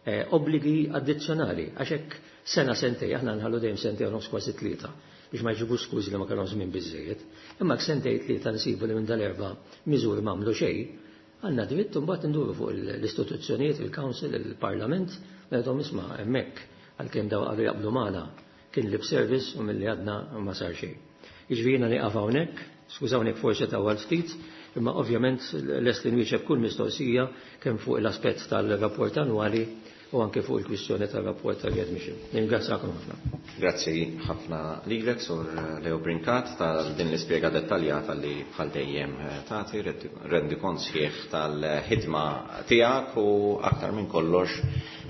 eh, obbligi addizzjonali, għax hekk sena sentej, aħna nħallu dejjem sentej u nofs kważi tlieta biex ma jġibux skużi li ma kellhom żmien biżejjed. Imma hekk sentej tlieta nsibu li minn dal-erba' miżuri m'għamlu xejn, għandna dritt mbagħad induru fuq l-istituzzjonijiet, il-Council, il-Parlament, ngħidhom isma' hemmhekk għalkemm daw qalu jaqblu magħna kien lip service u milli għadna ma sar xejn. Jiġifieri jiena nieqaf hawnhekk, skużawni forsi tawwalt ftit, imma ovvjament lest li nwieġeb kull mistoqsija kemm fuq l-aspett tal-rapport annwali u anke fuq il-kwistjoni tal-rapport tal-readmission. Ningrazzjakom ħafna. Grazzi ħafna lilek, Sur Leo Brincat, tal din l-ispjega dettaljata li bħal dejjem tagħti rendikont sħiħ tal-ħidma tiegħek u aktar minn kollox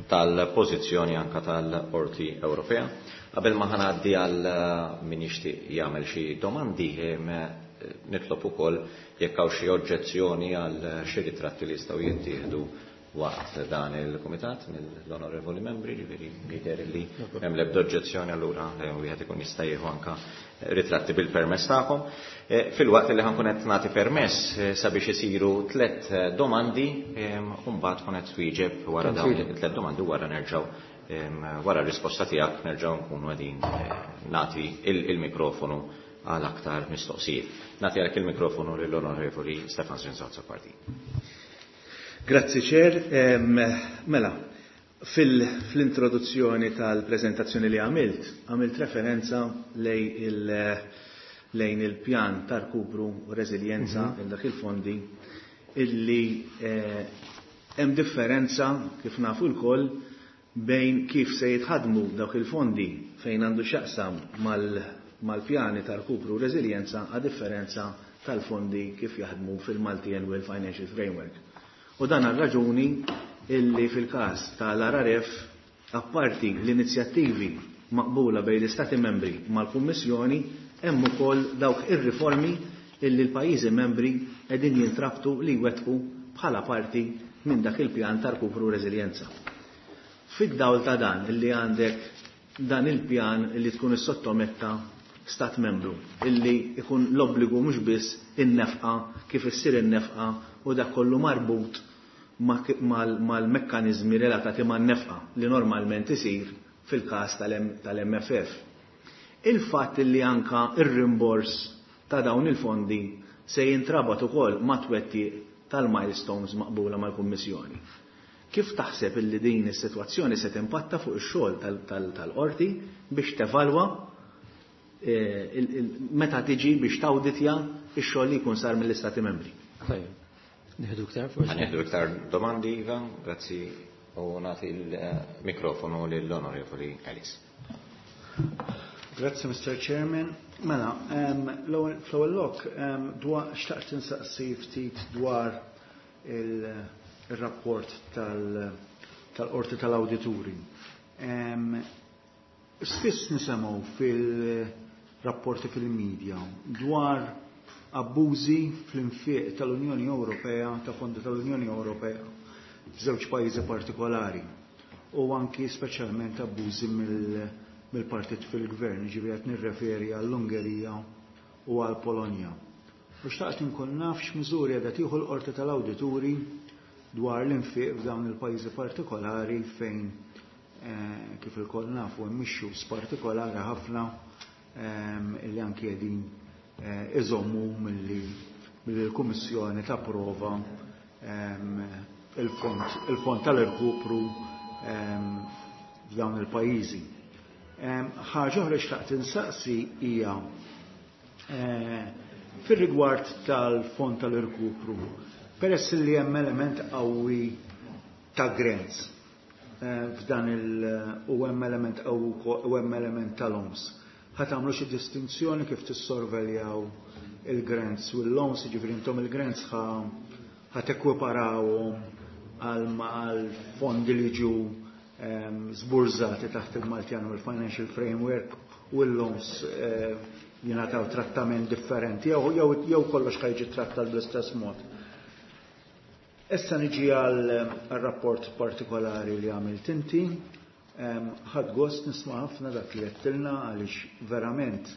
tal-pożizzjoni anka tal-Qorti Ewropea. Qabel ma ħa ngħaddi għal min jixtieq jagħmel xi domandi, nitlob ukoll jekk hawn xi oġġezzjoni għal xi ritratti li jistgħu jittieħdu waqt dan il-kumitat mill-onorevoli membri, ġifieri jidher li hemm l-ebda oġġezzjoni, allura wieħed ikun jista' jieħu anka ritratti bil-permess tagħkom. Filwaqt li ħa nkun qed nagħti permess sabiex isiru tliet domandi u mbagħad tkun qed twieġeb wara dawn it-tliet domandi, wara nerġgħu wara r-risposta tiegħek nerġgħu nkunu qegħdin nagħti il-mikrofonu għal aktar mistoqsijiet. Nagħti għalhekk il-mikrofonu lill-Onorevoli Stefan Zrinzo Azzopardi. Grazzi Chair. Mela, fil-introduzzjoni tal-prezentazzjoni li għamilt, għamilt referenza lejn il-pjan ta' rkupru u reżiljenza il dak il-fondi illi hemm differenza kif nafu lkoll bejn kif se jitħadmu dawk il-fondi fejn għandu x'jaqsam mal-pjani ta' rkupru u reżiljenza a differenza tal-fondi kif jaħdmu fil-Multi-Annual Financial Framework. U dan għal raġuni illi fil-każ tal-R R F, apparti l-inizjattivi maqbula bejn l-Istati membri mal-Kummissjoni, hemm ukoll dawk ir-riformi illi l-pajjiżi membri qegħdin jintrabtu li jwettqu bħala parti minn dak il-pjan ta' rkupru reżiljenza. Fid-dawl ta' dan illi għandek dan il-pjan illi tkun is-sottometta stat membru illi ikun l-obbligu mhux biss in-nefqa, kif issir in-nefqa u dak kollu marbut mal-mekkanizmi relatati man-nefqa li normalment isir fil-każ tal-M F F. Il-fatt li anka ir-rimbors ta' dawn il-fondi se jintrabat ukoll ma' twettiq tal-milestones maqbula mal-Kummissjoni. Kif taħseb illi din is-sitwazzjoni se timpatta fuq ix-xogħol tal-qorti biex tevalwa meta tiġi biex tawditja ix-xogħol li jkun sar mill-Istati Membri? Nieħdu iktar forsi? Nieħdu iktar domandi, Iva, grazzi, u nagħti il-mikrofonu lill-Onorevoli Ellis. Grazzi, Mister Chairman. Mela, fl-ewwel lok, xtaqt insaqsi ftit dwar il-rapport tal-Qorti tal-Awdituri. Spiss nisimgħu fil-rapporti fil-medja dwar abbużi fl-infiq tal-Unjoni Ewropea, ta' fondi tal-Unjoni Ewropea, f'żewġ pajjiżi partikolari u anki speċjalment abbużi mill-partit fil-gvern, ġifieri qed nirreferi għall-Ungerija u għall-Polonja. U xtaqt inkun naf x'miżuri qiegħda tieħu l-Qorti tal-Awdituri dwar l-infiq f'dawn il-pajjiżi partikolari fejn kif ilkoll nafu hemm issues partikolari ħafna illi anki qegħdin iżommu milli l-Kummissjoni tapprova il-fond tal-irkupru f'dawn il-pajjiżi. Ħaġa oħra xtaqt insaqsi hija fir-rigward tal-fond tal-irkupru, peress li hemm element qawwi ta' grants f'dan il u hemm element qawwi u hemm element tal-loans. Ħa tagħmlu xi distinzjoni kif tissorveljaw il-grants u l-loans, jiġifieri intom il-grants ħa tekwiparawhom għal fondi li ġew żburżati taħt il-Multiannual Financial Framework u l-loans jingħataw trattament differenti jew kollox ħa jiġi trattat bl-istess mod. Issa niġi għal rapport partikolari li għamilt inti. Ħadt gost nisma' ħafna dak li għedtilna għaliex verament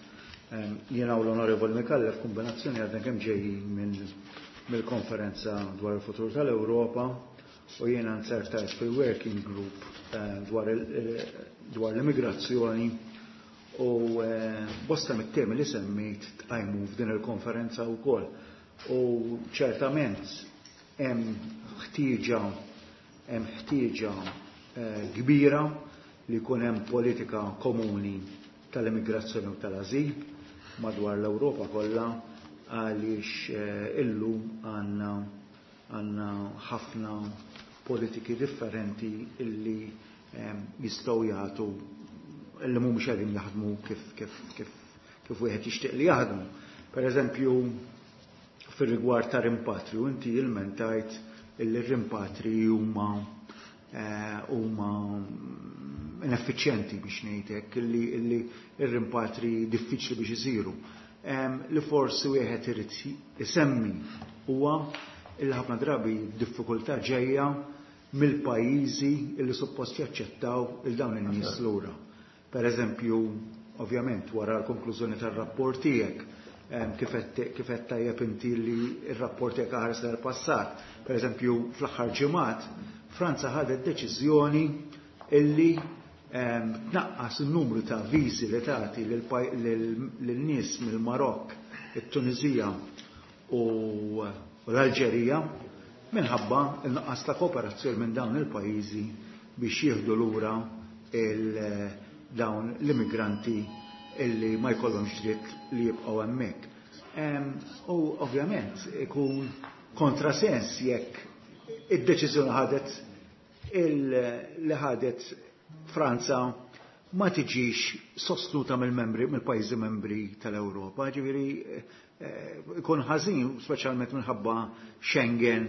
jiena u l-Onorevoli Micallef kombinazzjoni għadna kemm ġejjin mill-konferenza dwar il-futur tal-Ewropa u jiena nzertajt fil-working group dwar l-immigrazzjoni u bosta mit-temi li semmejt tqajmu f'din il-konferenza wkoll. U ċertament hemm ħtieġa hemm ħtieġa kbira li jkun hemm politika komuni tal-immigrazzjoni u tal-ażil madwar l-Ewropa kollha għaliex illum għandna għandna ħafna politiki differenti illi jistgħu jagħtu illi mhumiex qegħdin jaħdmu kif kif kif kif wieħed jixtieq li jaħdmu. Per eżempju, fir-rigward ta' rimpatriju, inti ilmentajt illi r-rimpatri huma huma ineffiċjenti biex ngħidlek, illi illi r-rimpatri diffiċli biex isiru. Li forsi wieħed irid isemmi huwa illi ħafna drabi diffikultà ġejja mill-pajjiżi illi suppost jaċċettaw il dawn in-nies lura. Per eżempju, ovvjament wara l-konklużjoni tar-rapport tiegħek, kif qed tajjeb inti li r-rapport tiegħek ħares l-passat. Per eżempju, fl-aħħar ġimgħat Franza ħadet deċiżjoni illi tnaqqas in-numru ta' viżi li tagħti lil-nies mill-Marokk, it-Tunizija u l-Alġerija minħabba n-nuqqas ta' kooperazzjoni minn dawn il-pajjiżi biex jieħdu lura dawn l-immigranti illi ma jkollhomx dritt li jibqgħu hemmhekk. U ovvjament ikun kontrasens jekk id-deċiżjoni ħadet li ħadet Franza ma tiġix sostnuta mill-membri mill-pajjiżi membri tal-Ewropa, ġifieri ikun ħażin speċjalment minħabba Schengen,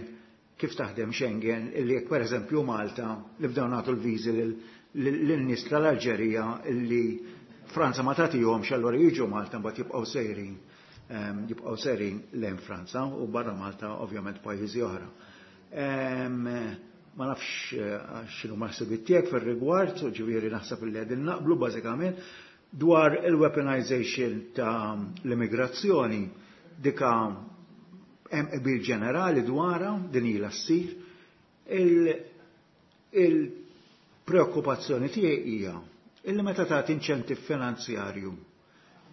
kif taħdem Schengen, illi jekk pereżempju Malta li bdew nagħtu l-viżi lin-nies tal-Alġerija illi Franza ma tagħtihomx, allura jiġu Malta mbagħad jibqgħu sejrin jibqgħu sejrin lejn Franza u barra Malta ovvjament pajjiżi oħra. Ma nafx x'inhu maħseb tiegħek fir-rigward, ġifieri naħseb li qegħdin naqblu bażikament dwar il-weaponization ta' l-immigrazzjoni, dika hemm qbil ġenerali dwarha din ilha ssir. Il-preokkupazzjoni tiegħi hija illi meta tagħti inċentiv finanzjarju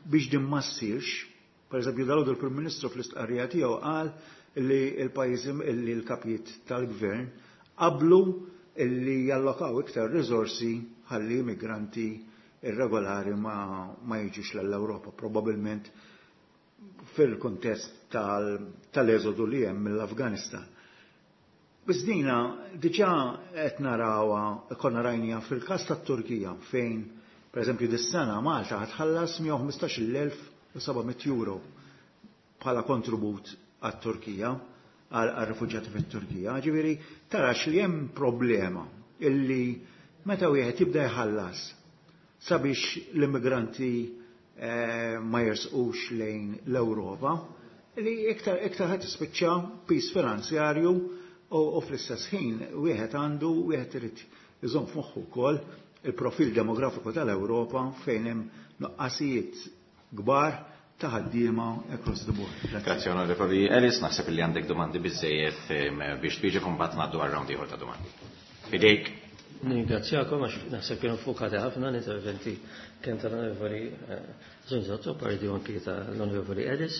biex din ma ssirx, pereżempju dalgħodu il-Prim Ministru fl-istqarrija tiegħu qal illi l-pajjiżi illi l-kapijiet tal-gvern qablu illi jallokaw iktar riżorsi ħalli immigranti irregolari ma, ma jiġux l-Ewropa, probabbilment fil-kontest tal-eżodu li hemm mill-Afganistan. Biss dina diġà qed narawha, konna rajnija fil-każ tat-Turkija fejn pereżempju dis-sena Malta ħa tħallas mija u ħmistax-il elf u seba' mitt euro bħala kontribut għat-Turkija, għal-rifuġjati fit-Turkija. Ġifieri tarax li hemm problema illi meta wieħed jibda jħallas sabiex l-immigranti ma jersqux lejn l-Ewropa, li iktar iktar ħadd tispiċċa pis finanzjarju u fl-istess ħin wieħed għandu wieħed irid iżomm f'moħħu wkoll il-profil demografiku tal-Ewropa fejn hemm nuqqasijiet kbar ta' ħaddiema across the board. Grazzi Onorevoli Ellis, naħseb li għandek domandi biżejjed biex twieġeb u mbagħad ngħaddu għal round ieħor ta' domandi. Fidejk. Ningrazzjakom għax naħseb kienu fokati ħafna l-interventi kemm tal-Onorevoli Zunzo Azzopardi u anki tal-Onorevoli Ellis.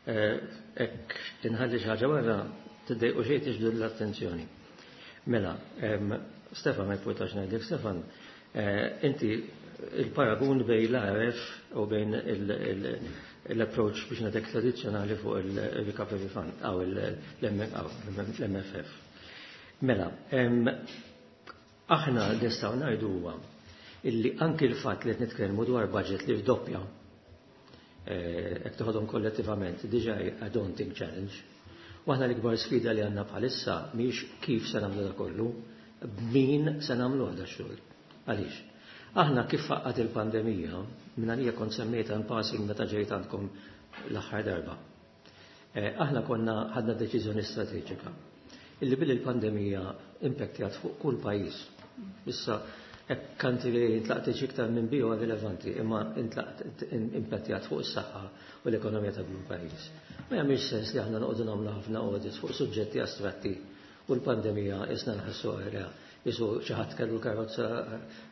Hekk inħalli xi ħaġa wara tiddejqu xejn tiġbdu l-attenzjoni. Mela, Stefan, ma jportax ngħidlek Stefan, inti il-paragun bejn l-R F u bejn l-approach biex ngħidlek tradizzjonali fuq il-Recovery Fund, aw l-M F F. Mela, aħna nistgħu ngħidu huwa illi anki l-fatt li qed nitkellmu dwar budget li fdoppja, hekk toħodhom kollettivament, diġà a daunting challenge. U aħna l-ikbar sfida li għandna bħalissa mhix kif se nagħmlu da kollu, b'min se nagħmlu da xogħol. Għaliex? Aħna kif faqqat il-pandemija, minn għalija kont semmejta in passing meta ġejt għandkom l-aħħar darba. Aħna konna ħadna deċiżjoni strateġika illi bil il-pandemija impattjat fuq kull pajjiż. Issa, hekk country li intlaqtet iktar minn bio rilevanti, imma impattjat fuq is-saħħa u l-ekonomija ta' kull pajjiż. Ma jagħmilx sens li aħna noqogħdu nagħmlu ħafna audits fuq suġġetti astratti u l-pandemija isna nħassu għalha jisu xi ħadd kellu karozza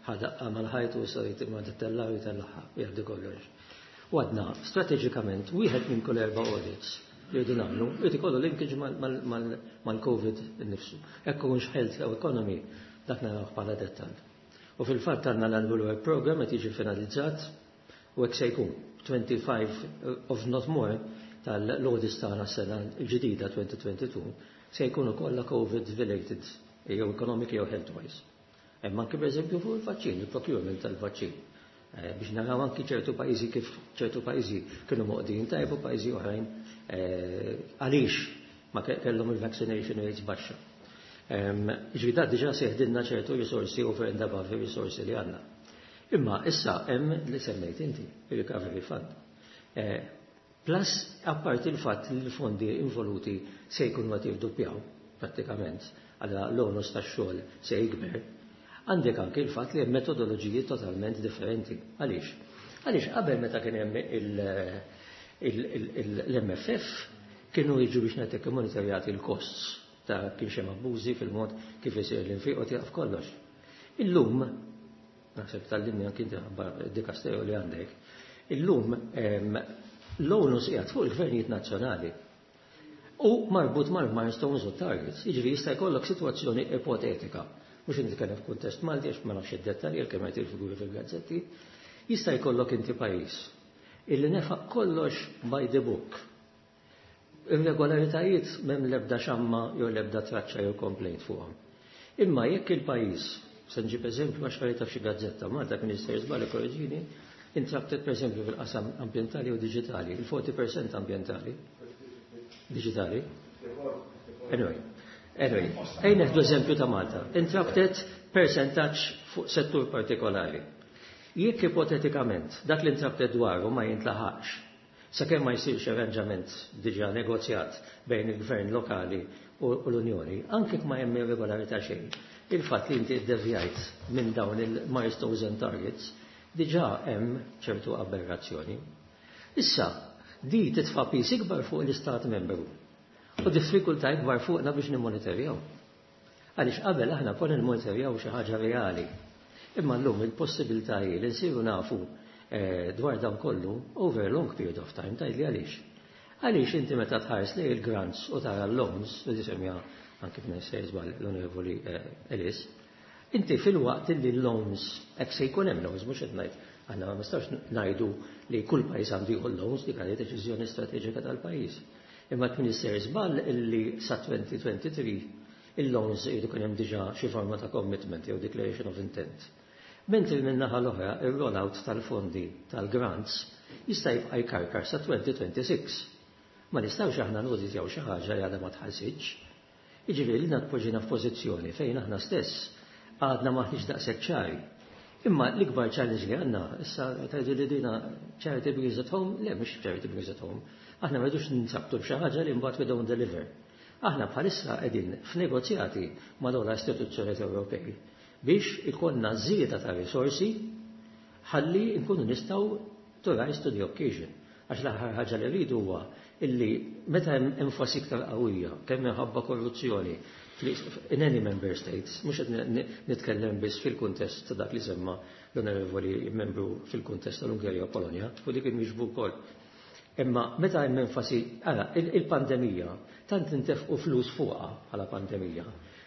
ħadaqqa mal-ħajt u issa ma tittella u jitellaħħa jgħaddi kollox. U għadna strateġikament wieħed minn kull erba' audits li jridu nagħmlu, jrid ikollu linkage mal-Covid innifsu. Hekk ikunx health jew economy, dak naraw bħala dettall. U fil-fatt għandna l-Annual Work Program qed jiġi finalizzat u hekk se jkun twenty-five of not more tal-audits tagħna s-sena l-ġdida twenty twenty-two se jkunu kollha COVID related jew economic jew health wise. Hemm anke, pereżempju, fuq il-vaċċin, il-procurement tal-vaċċin. Biex naraw anki ċertu pajjiżi, kif ċertu pajjiżi kienu moqdin tajb u pajjiżi oħrajn għaliex ma kellhom il-vaccination rates baxxa. Ġifieri da diġà seħdilna ċertu risorsi over and above il-risorsi li għandna. Imma issa hemm li semmejt inti, il-Recovery Fund. Plus, apparti il-fatt li l-fondi involuti se jkunu għad jirduppjaw, prattikament, għalla l-onus tax-xogħol se jikber, għandek anke il-fatt li hemm metodoloġiji totalment differenti. Għaliex? Għaliex qabel meta kien hemm l-M F F kienu jiġu biex ngħidlek monitorjati l-costs ta' kien hemm abbużi fil-mod kif isir l-infiq u tieqaf kollox. Illum, naħseb tal-linja anki dikasteru li għandek, illum l-onus qiegħed fuq il-gvernijiet nazzjonali u marbut mal-milestones u targets. Jiġifieri jista' jkollok sitwazzjoni ipotetika. Mhux nitkellem f'kuntest Malti għax ma nafx id-dettalji kemm qed il-figuri fil-gazzetti. Jista' jkollok inti pajjiż illi nefaq kollox by the book. Irregolaritajiet m'hemm l-ebda xamma jew l-ebda traċċa jew complaint fuqhom. Imma jekk il-pajjiż, se nġib eżempju għax qrajta f'xi gazzetta, Malta kien jista' żball korreġini, intrabtet pereżempju fil-qasam ambjentali u diġitali, il-around forty percent ambjentali, diġitali. Anyway, anyway, ejja nieħdu eżempju ta' Malta. Intrabtet percentaġġ fuq settur partikolari. Jekk ipotetikament dak li intrabtet dwaru ma jintlaħaqx, sakemm ma jsirx arranġament diġà negozjat bejn il-gvern lokali u l-Unjoni, anke ma hemm irregolarità xejn, il-fatt li inti ddevjajt minn dawn il-milestones and targets, diġà hemm ċertu aberrazzjoni. Issa, di titfa' piż ikbar fuq l-Istat membru u diffikultà ikbar fuqna biex nimmonitorjaw. Għaliex qabel aħna konna nimmonitorjaw xi ħaġa reali. Imma llum il-possibilità hi li nsiru nafu dwar dan kollu over a long period of time. Tgħidli għaliex. Għaliex inti meta tħares li il-grants u tara l-loans, u disemja anki f'nessej żball l-Onorevoli Ellis, inti fil-waqt li l-loans, hekk se jkun hemm loans, mhux qed ngħid, aħna ma nistgħux ngħidu li kull pajjiż għandu jieħu loans, dik għalli deċiżjoni strateġika tal-pajjiż. Imma tmien żball illi sa twenty twenty-three il-loans jridu kien hemm diġà xi forma ta' commitment jew declaration of intent. Mentri minn naħa l-oħra ir-rollout tal-fondi tal-grants jista' jibqa' jkarkar sa twenty twenty-six. Ma nistgħux aħna noditjaw xi ħaġa li għadha ma tħallsitx. Jiġifieri li tpoġġina f'pożizzjoni fejn aħna stess għadna maħniex daqshekk ċari. Imma l-ikbar challenge li għandna, issa tgħidu li dina charity begins at home, le, mhux charity begins at home. Aħna ma rridux ninsabtu b'xi ħaġa li mbagħad we don't deliver. Aħna bħalissa qegħdin f'negozjati ma' dawn l-istituzzjonijiet Ewropej biex ikollna żieda ta' risorsi ħalli nkunu nistgħu to rise to the occasion. Għax l-aħħar ħaġa li rridu huwa Illi meta hemm enfasi iktar qawwija, kemm minħabba korruzzjoni in any member states, mhux qed nitkellem biss fil-kuntest ta' dak li semma l-onorevoli membru fil-kuntest tal-Ungerija u Polonja, u dik inwieġbu wkoll. Imma meta hemm enfasi, ara, il-pandemija tant intefqu flus fuqha bħala pandemija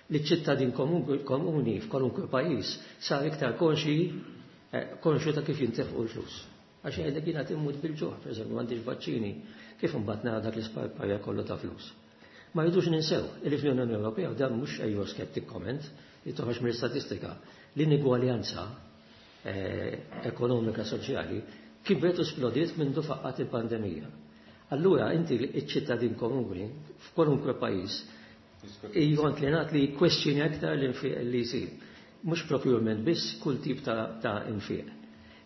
li ċ-ċittadin komuni f'kwalunkwe pajjiż sar iktar konxi konxu ta' kif jintefqu l-flus. Għax jgħidlek jiena immut bil-ġuħ, pereżempju m'għandix vaċċini, kif imbagħad nara dak l-isparparja kollu ta' flus. Ma rridux ninsew li fl-Unjoni Ewropea dan mhux Eurosceptic comment li toħroġ mill-istatistika l-inigwaljanza ekonomika soċjali kibret u splodiet minn faqqat il-pandemija. Allura inti iċ-ċittadin komuni f'kwalunkwe pajjiż inklinat li kwestjoni aktar l-infiq li jsir. Mhux procurement biss, kull tip ta', ta infiq.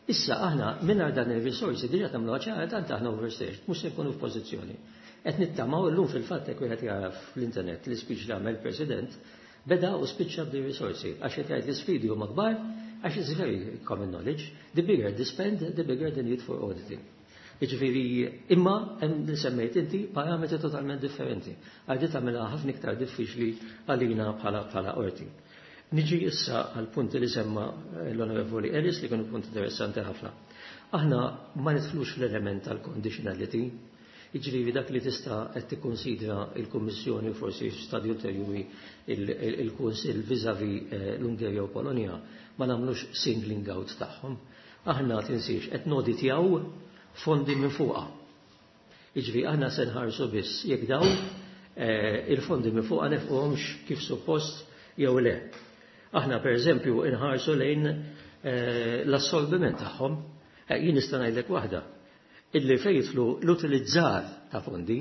Issa aħna mingħajr dan il-risorsi diġà tagħmlu ċara tant aħna overstaged, mhux se nkunu f'pożizzjoni. Qed nittamaw illum fil-fatt hekk wieħed jara fl-internet l-ispeech li għamel President beda u spiċċa b'di risorsi għax qed jgħid l-isfidi huma kbar għax it's very common knowledge, the bigger the spend, the bigger the need for auditing. Jiġifieri imma hemm li semmejt inti parametri totalment differenti. Għal tagħmilha ħafna iktar diffiċli għalina bħala bħala qorti. Niġi issa għal punti li semma l-Onorevoli Ellis li kienu punt interessanti ħafna. Aħna ma nidħlux fl-element tal-conditionality, jiġifieri dak li tista' qed tikkonsidra il-Kummissjoni u forsi f'stadju ulterjuri il-Kunsill vis-à-vis l-Ungerija u Polonja ma nagħmlux singling out tagħhom. Aħna tinsiex qed noditjaw fondi minn fuqha. Jiġifieri aħna se nħarsu biss jekk dawn il-fondi minn fuqha nefquhomx kif suppost jew le. Aħna per eżempju inħarsu lejn l-assorbiment tagħhom. Jien nista' ngħidlek waħda. Illi fejn jidħlu l-utilizzar ta' fondi,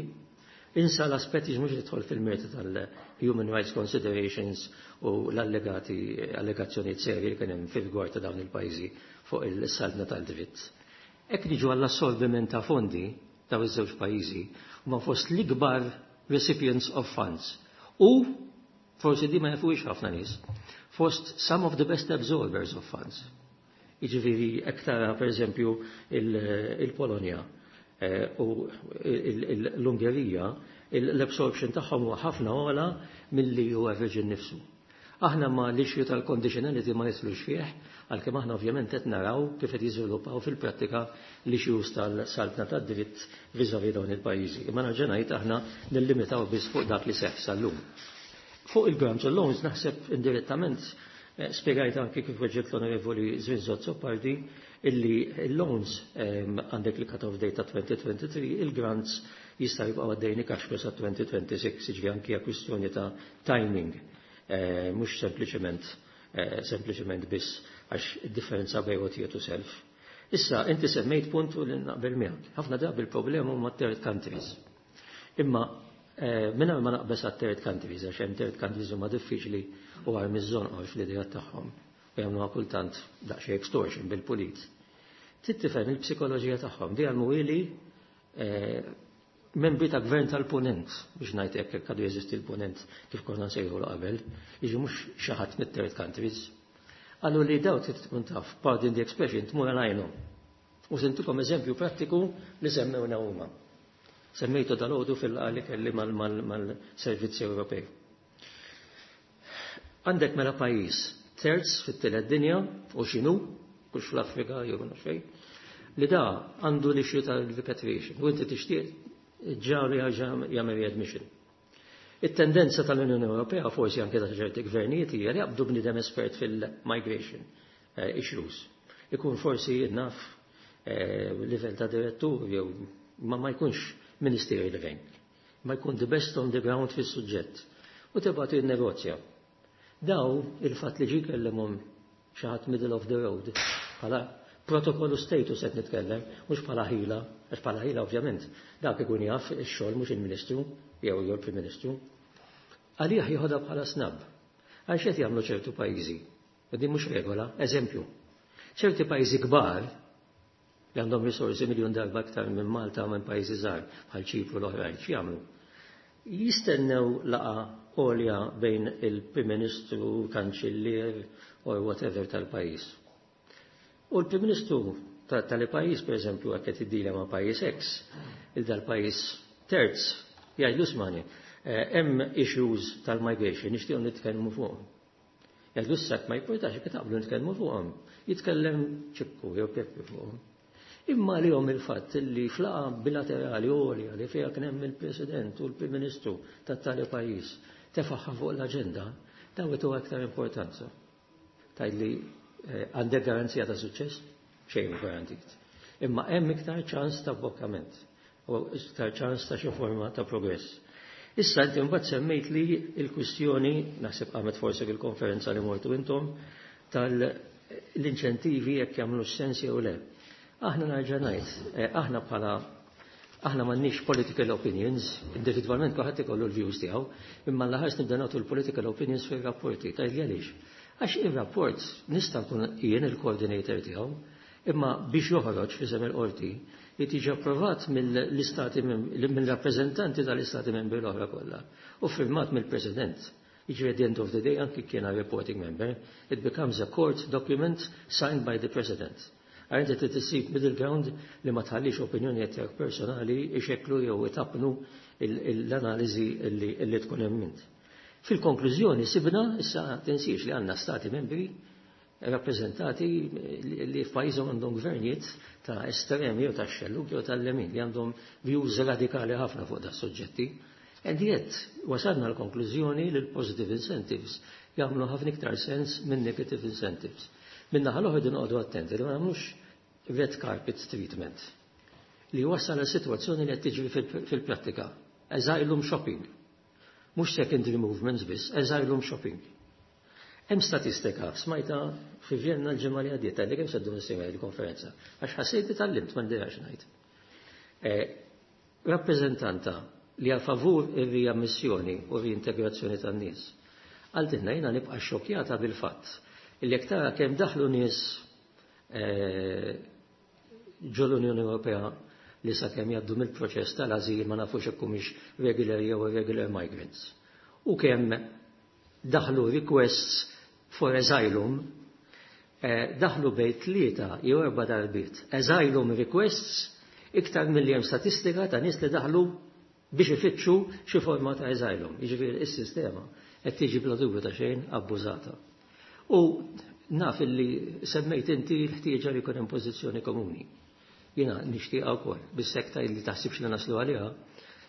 insa l-aspetti mhux nidħol fil-merti tal-human rights considerations u l-allegati allegazzjonijiet serji li kien hemm fil-rigward ta' dawn il-pajjiżi fuq il-saltna tal-dritt. Hekk niġu għall-assorbiment ta' fondi ta' iż-żewġ pajjiżi huma fost l-ikbar recipients of funds. U forsi di ma jafuhiex ħafna nies, fost some of the best absorbers of funds. Jiġifieri hekk tara per eżempju il-Polonja u l-Ungerija, l-absorption tagħhom huwa ħafna ogħla milli hu average innifsu. Aħna ma l-issue tal-conditionality ma nidħlux fih, għalkemm aħna ovvjament qed naraw kif qed jiżviluppaw fil-prattika l-issues tal-saltna tad-dritt vis-à-vis dawn il-pajjiżi. Imma nerġa' ngħid aħna nillimitaw biss fuq dak li seħħ sal-lum. Fuq il-grants u loans naħseb indirettament spiegajt anki kif weġġiet l-Onorevoli Zrinzo Azzopardi illi il-loans għandek li cut-off date ta' twenty twenty-three, il-grants jista' jibqgħu għaddejni cash flow sa twenty twenty-six, jiġifieri anki hija kwistjoni ta' timing, mhux sempliċement sempliċement biss għax id-differenza bejn għotjiet u self. Issa, inti semmejt puntu li naqbel miegħek. Ħafna drabi il-problema huma third countries. Imma minna ma naqbes għat third countries, għax hemm third countries huma diffiċli u għar miż-żonqor fl-idea tagħhom. U jagħmluha kultant daqsxejn extortion bil-pulit. Trid tifhem il-psikoloġija tagħhom. Di għal membri ta' gvern tal-punent, biex ngħid hekk hekk għadu jeżisti l-punent kif konna nsejħu qabel, jiġi mhux xi ħadd mit-third countries. Għallu li daw trid tkun taf, pardon the expression, tmur għalajnhom. U sentukom eżempju prattiku li semmewna huma. Semmejtu dal-għodu fil-għali kelli mal-servizzi Ewropej. Għandek mela pajjiż terz fit-tielet dinja u x'inhu, kux fl-Afrika jew naf fejn, li da għandu l-issue tal-repatriation u inti tixtieq ġaru jagħmel readmission. It-tendenza tal-Unjoni Ewropea, forsi anke ta' ċerti gvernijiet, hija li jaqbdu bniedem espert fil-migration issues. Ikun forsi naf livell ta' direttur jew ma ma jkunx ministerial rank. Ma jkun the best on the ground fis-suġġett. U tibgħatu jinnegozja. Daw il-fatt li ġi kellimhom xi ħadd middle of the road bħala protokollu status qed nitkellem, mhux bħala ħila, għax bħala ħila ovvjament dak ikun jaf ix-xogħol mhux il-Ministru jew jew il-Prim Ministru. Għalih jieħodha bħala snub. Għax qed jagħmlu ċertu pajjiżi. U din mhux regola, eżempju. Ċerti pajjiżi kbar li għandhom risorsi miljun darba aktar minn Malta u minn pajjiżi żgħar bħal Ċipru l-oħrajn, x'jagħmlu? Jistennew laqgħa għolja bejn il-Prim Ministru, Kanċillier or whatever tal-pajjiż. U l-Prim Ministru tal-pajjiż, per eżempju, għak qed iddilja ma' pajjiż X, il dal-pajjiż Terz, jgħidlu ismagħni, eh, hemm issues tal-migration nixtiequ nitkellmu fuqhom. Jgħidlu issa ma jipportax jekk taqblu nitkellmu fuqhom. Jitkellem Ċikku jew Peppi fuqhom. Imma li jom il-fatt li f'laqgħa bilaterali għolja li fiha kien hemm il-President u l-Prim Ministru tat-tali pajjiż tefaħħa fuq l-aġenda, daw ituha aktar importanza. Tgħidli eh, għandek garanzija ta' suċċess? Xejn garantit. Imma hemm iktar ċans ta' blokkament u iktar ċans ta' xi forma ta' progress. Issa inti mbagħad semmejt li l-kwistjoni, naħseb qamet forsi fil-konferenza li mortu intom, tal-inċentivi jekk jagħmlu sens jew le. Aħna nerġa' ngħid, eh, aħna bħala aħna m'għandniex political opinions, individwalment kulħadd ikollu l-views tiegħu, imma l-aħħar nibda nagħtu l-political opinions fir-rapporti. Tgħidli għaliex? Għax ir-rapport nista' nkun jien il-coordinator tiegħu, imma biex joħroġ f'isem il-qorti jiġi approvat mill-istati mill-rappreżentanti tal-istati membri l-oħra kollha u firmat mill-President. Jiġri at the end of the day anki kien a reporting member, it becomes a court document signed by the President. Għax inti trid middle ground li ma tħallix opinjoni tiegħek personali ixekklu jew itappnu l-analiżi li tkun hemm int. Fil-konklużjoni sibna, issa tinsiex li għandna stati membri rappresentati li f'pajjiżhom għandhom gvernijiet ta' estremi jew ta' xellug jew tal-lemin li għandhom views radikali ħafna fuq da' soġġetti. And yet, wasalna l-konklużjoni li l-positive incentives jagħmlu ħafna iktar sens minn negative incentives. Min-naħa l-oħra noqogħdu attenti li ma nagħmlux red carpet treatment li wassal għal situazzjoni li qed tiġri fil-prattika. Asylum shopping. Mhux secondary movements biss, asylum shopping. Hemm statistika, smajta fi Vienna l-ġimgħa li għaddiet, li kemm seddu nisimgħu il-konferenza, għax ħassejt li tgħallimt m'għandix ngħid. Eh, rappreżentanta li għal favur ir-riammissjoni u reintegrazzjoni tan-nies. Qaltilna jiena nibqa' xokjata bil-fatt illi jekk tara kemm daħlu nies eh, ġo l-Unjoni Ewropea li sakemm jgħaddu mill-proċess tal-azil ma nafux jekk humiex regular jew irregular migrants. U kemm daħlu requests for asylum, eh, daħlu bejn tlieta jew erba' darbiet asylum requests iktar milli hemm statistika ta' nies li daħlu biex ifittxu xi forma ta' asylum. Jiġifieri is-sistema qed tiġi bla dubju ta' xejn abbużata. U naf illi semmejt inti l-ħtieġa li jkun hemm pożizzjoni komuni. Jiena nixtieqha wkoll, bis-sekta li taħsibx li naslu għaliha,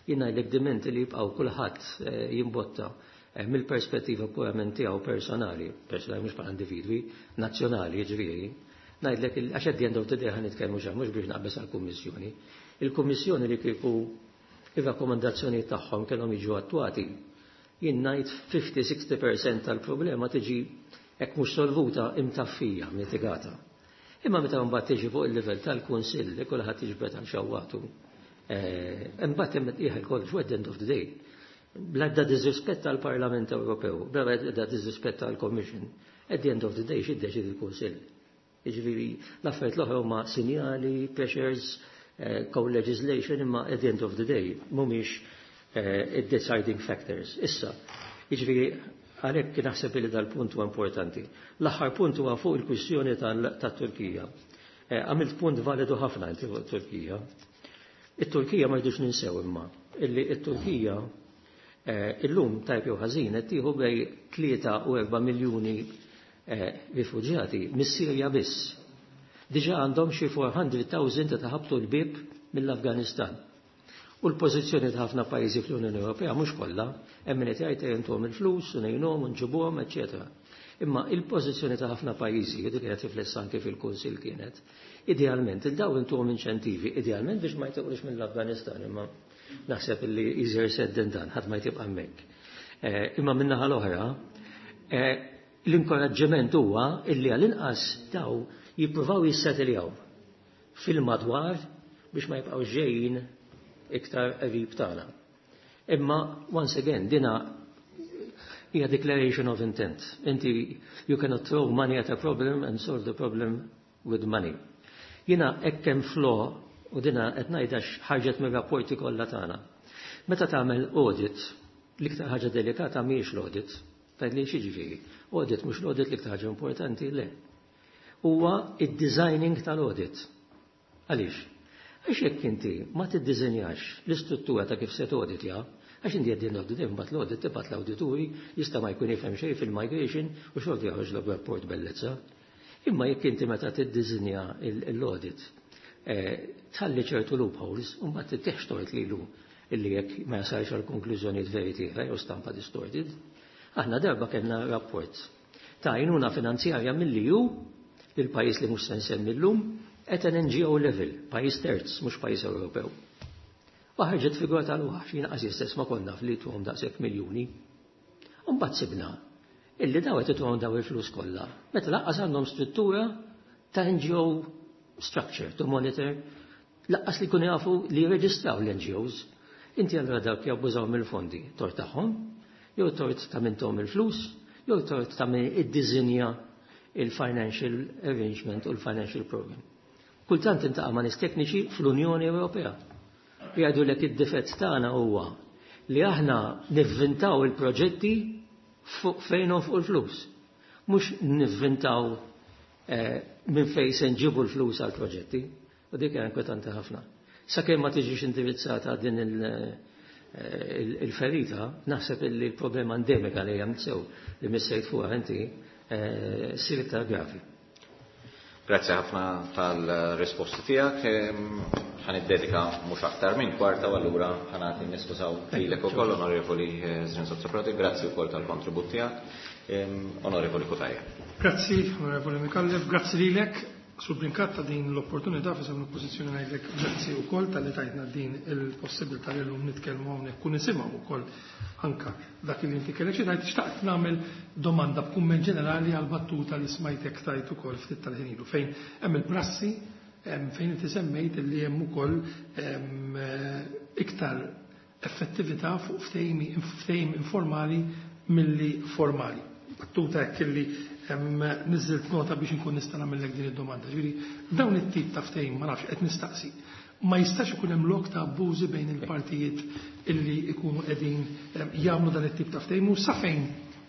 jiena jlek diment li jibqgħu kulħadd eh, jimbotta eh, mill-perspettiva purament tiegħu personali, personali mhux bħala individwi, nazzjonali jiġifieri, ngħidlek għax at the end of the day ħa nitkellmu xa mhux biex naqbeż għall-Kummissjoni. Il-Kummissjoni li kieku ir-rakkomandazzjoni tagħhom kellhom jiġu attwati, jien ngħid ħamsin-sittaħx fil-mija tal-problema tiġi hekk mhux solvuta imtaffija, mitigata. Imma meta mbagħad tiġi fuq il-livell tal-Kunsill li kulħadd jiġbed għal xawwatu, eh, imbagħad hemm ieħor kollox at the end of the day. Bla disrispett tal-Parlament Ewropew, bla disrispett tal-Commission, at the end of the day x'iddeċidi l-Kunsill. Jiġifieri l-affarijiet l-oħra huma sinjali, pressures, eh, co-legislation, imma at the end of the day mhumiex eh, deciding factors. Issa, jiġifieri għalhekk naħseb li dal-punt huwa importanti. L-aħħar punt huwa fuq il-kwistjoni tat-Turkija. Eh, għamilt punt validu ħafna inti fuq it-Turkija. It-Turkija ma rridux ninsew imma illi it-Turkija eh, illum tajb jew ħażin qed tieħu bejn tlieta u erba' miljuni eh, rifuġjati mis-Sirja biss. Diġà għandhom xi erba' mitt elf ta' ħabtu l-bib mill-Afganistan. U l-pożizzjoni ta' ħafna pajjiżi fl-Unjoni Ewropea mhux kollha, hemm min qed jgħid intuhom il-flus u ngħinuhom u nġibuhom, eċetera. Imma il-pożizzjoni ta' ħafna pajjiżi, dik kienet riflessa anke fil-Kunsill kienet, idealment il-daw intuhom inċentivi, idealment biex ma jtiqux mill-Afganistan, imma naħseb illi easier said than done, ħadd ma jtibqa' hemmhekk. Eh, imma min-naħa l-oħra, eh, l-inkoraġġiment huwa illi għall-inqas daw jippruvaw jissettiljaw fil-madwar biex ma jibqgħu ġejjin iktar qrib tagħna. Imma once again dina hija declaration of intent. Inti you cannot throw money at a problem and solve the problem with money. Jiena hekk hemm flaw u dina qed ngħidha ħarġet mir-rapporti kollha tagħna. Meta tagħmel audit, l-iktar ħaġa delikata mhijiex l-audit. Tgħid li ġifieri. Audit mhux l-audit l-iktar ħaġa importanti, le. Huwa id-designing tal-audit. Għaliex? Għax jekk inti ma tiddiżenjax l-istruttura ta' kif se toditja, għax inti qegħdin l-audit, imbagħad l-audit tibgħat l-awdituri, jista' ma jkun jifhem xejn fil-migration u xorta joħroġlok rapport bellezza. Imma jekk inti meta tiddiżinja l-audit tħalli ċertu loopholes u mbagħad tittieħx tort lilu illi jekk ma jasalx għal konklużjonijiet veritiera jew stampa distorted. Aħna darba kellna rapport ta' għajnuna finanzjarja mill-E U lil pajjiż li mhux se nsemmi llum at an N G O level, pajjiż terz, mhux pajjiż Ewropew. U ħarġet figura tal-waħx, jiena qas stess ma konna li tuhom daqshekk miljuni. U mbagħad sibna illi daw qed ituhom daw il-flus kollha. Meta lanqas għandhom struttura ta' N G O structure to monitor, lanqas li jkunu jafu li jirreġistraw l-N G Os. Inti allura dawk jabbużaw mill-fondi, tort tagħhom, jew tort ta' min tahom il-flus, jew tort ta' min iddiżinja il-financial arrangement u l-financial program. Kultant niltaqa' ma' nies tekniċi fl-Unjoni Ewropea. Jgħidulek id-difett tagħna huwa li aħna nivvintaw il-proġetti fuq fejn fuq il-flus. Mhux nivvintaw eh, minn fejn se nġibu l-flus għal proġetti. U dik hija inkwetanti ħafna. Sakemm ma tiġix indirizzata din il- eh, il-ferita, naħseb li l-problema endemika li hemm sew li missejt fuqha inti eh, ssir iktar gravi. Grazzi ħafna tal-risposti tiegħek. Ħa niddedika mhux aktar minn kwarta u allura ħa nagħti niskużaw lilek ukoll, Onorevoli Zrinzo Prodi, grazzi wkoll tal-kontribut tiegħek. Onorevoli Cutajar. Grazzi, Onorevoli Micallef, grazzi lilek. Sur Brincat ta' din l-opportunità f'isem l-oppożizzjoni ngħidlek grazzi wkoll talli tajtna din il-possibilità li llum nitkellmu hawnhekk u nisimgħu wkoll anka dak li inti kellek xi tgħid. Xtaqt nagħmel domanda b'kumment ġenerali għal battuta li smajtek tajt ukoll ftit tal-ħin ilu fejn hemm il-prassi fejn inti semmejt li hemm ukoll iktar effettività fuq ftehim informali milli formali. Battuta hekk illi niżilt nota biex inkun nista' nagħmellek din id-domanda. Ġifieri dawn it-tip ta' ftehim, ma nafx, qed nistaqsi. Ma jistax ikun hemm lok ta' abbużi bejn il-partijiet illi ikunu qegħdin jagħmlu dan it-tip ta' ftehim u sa fejn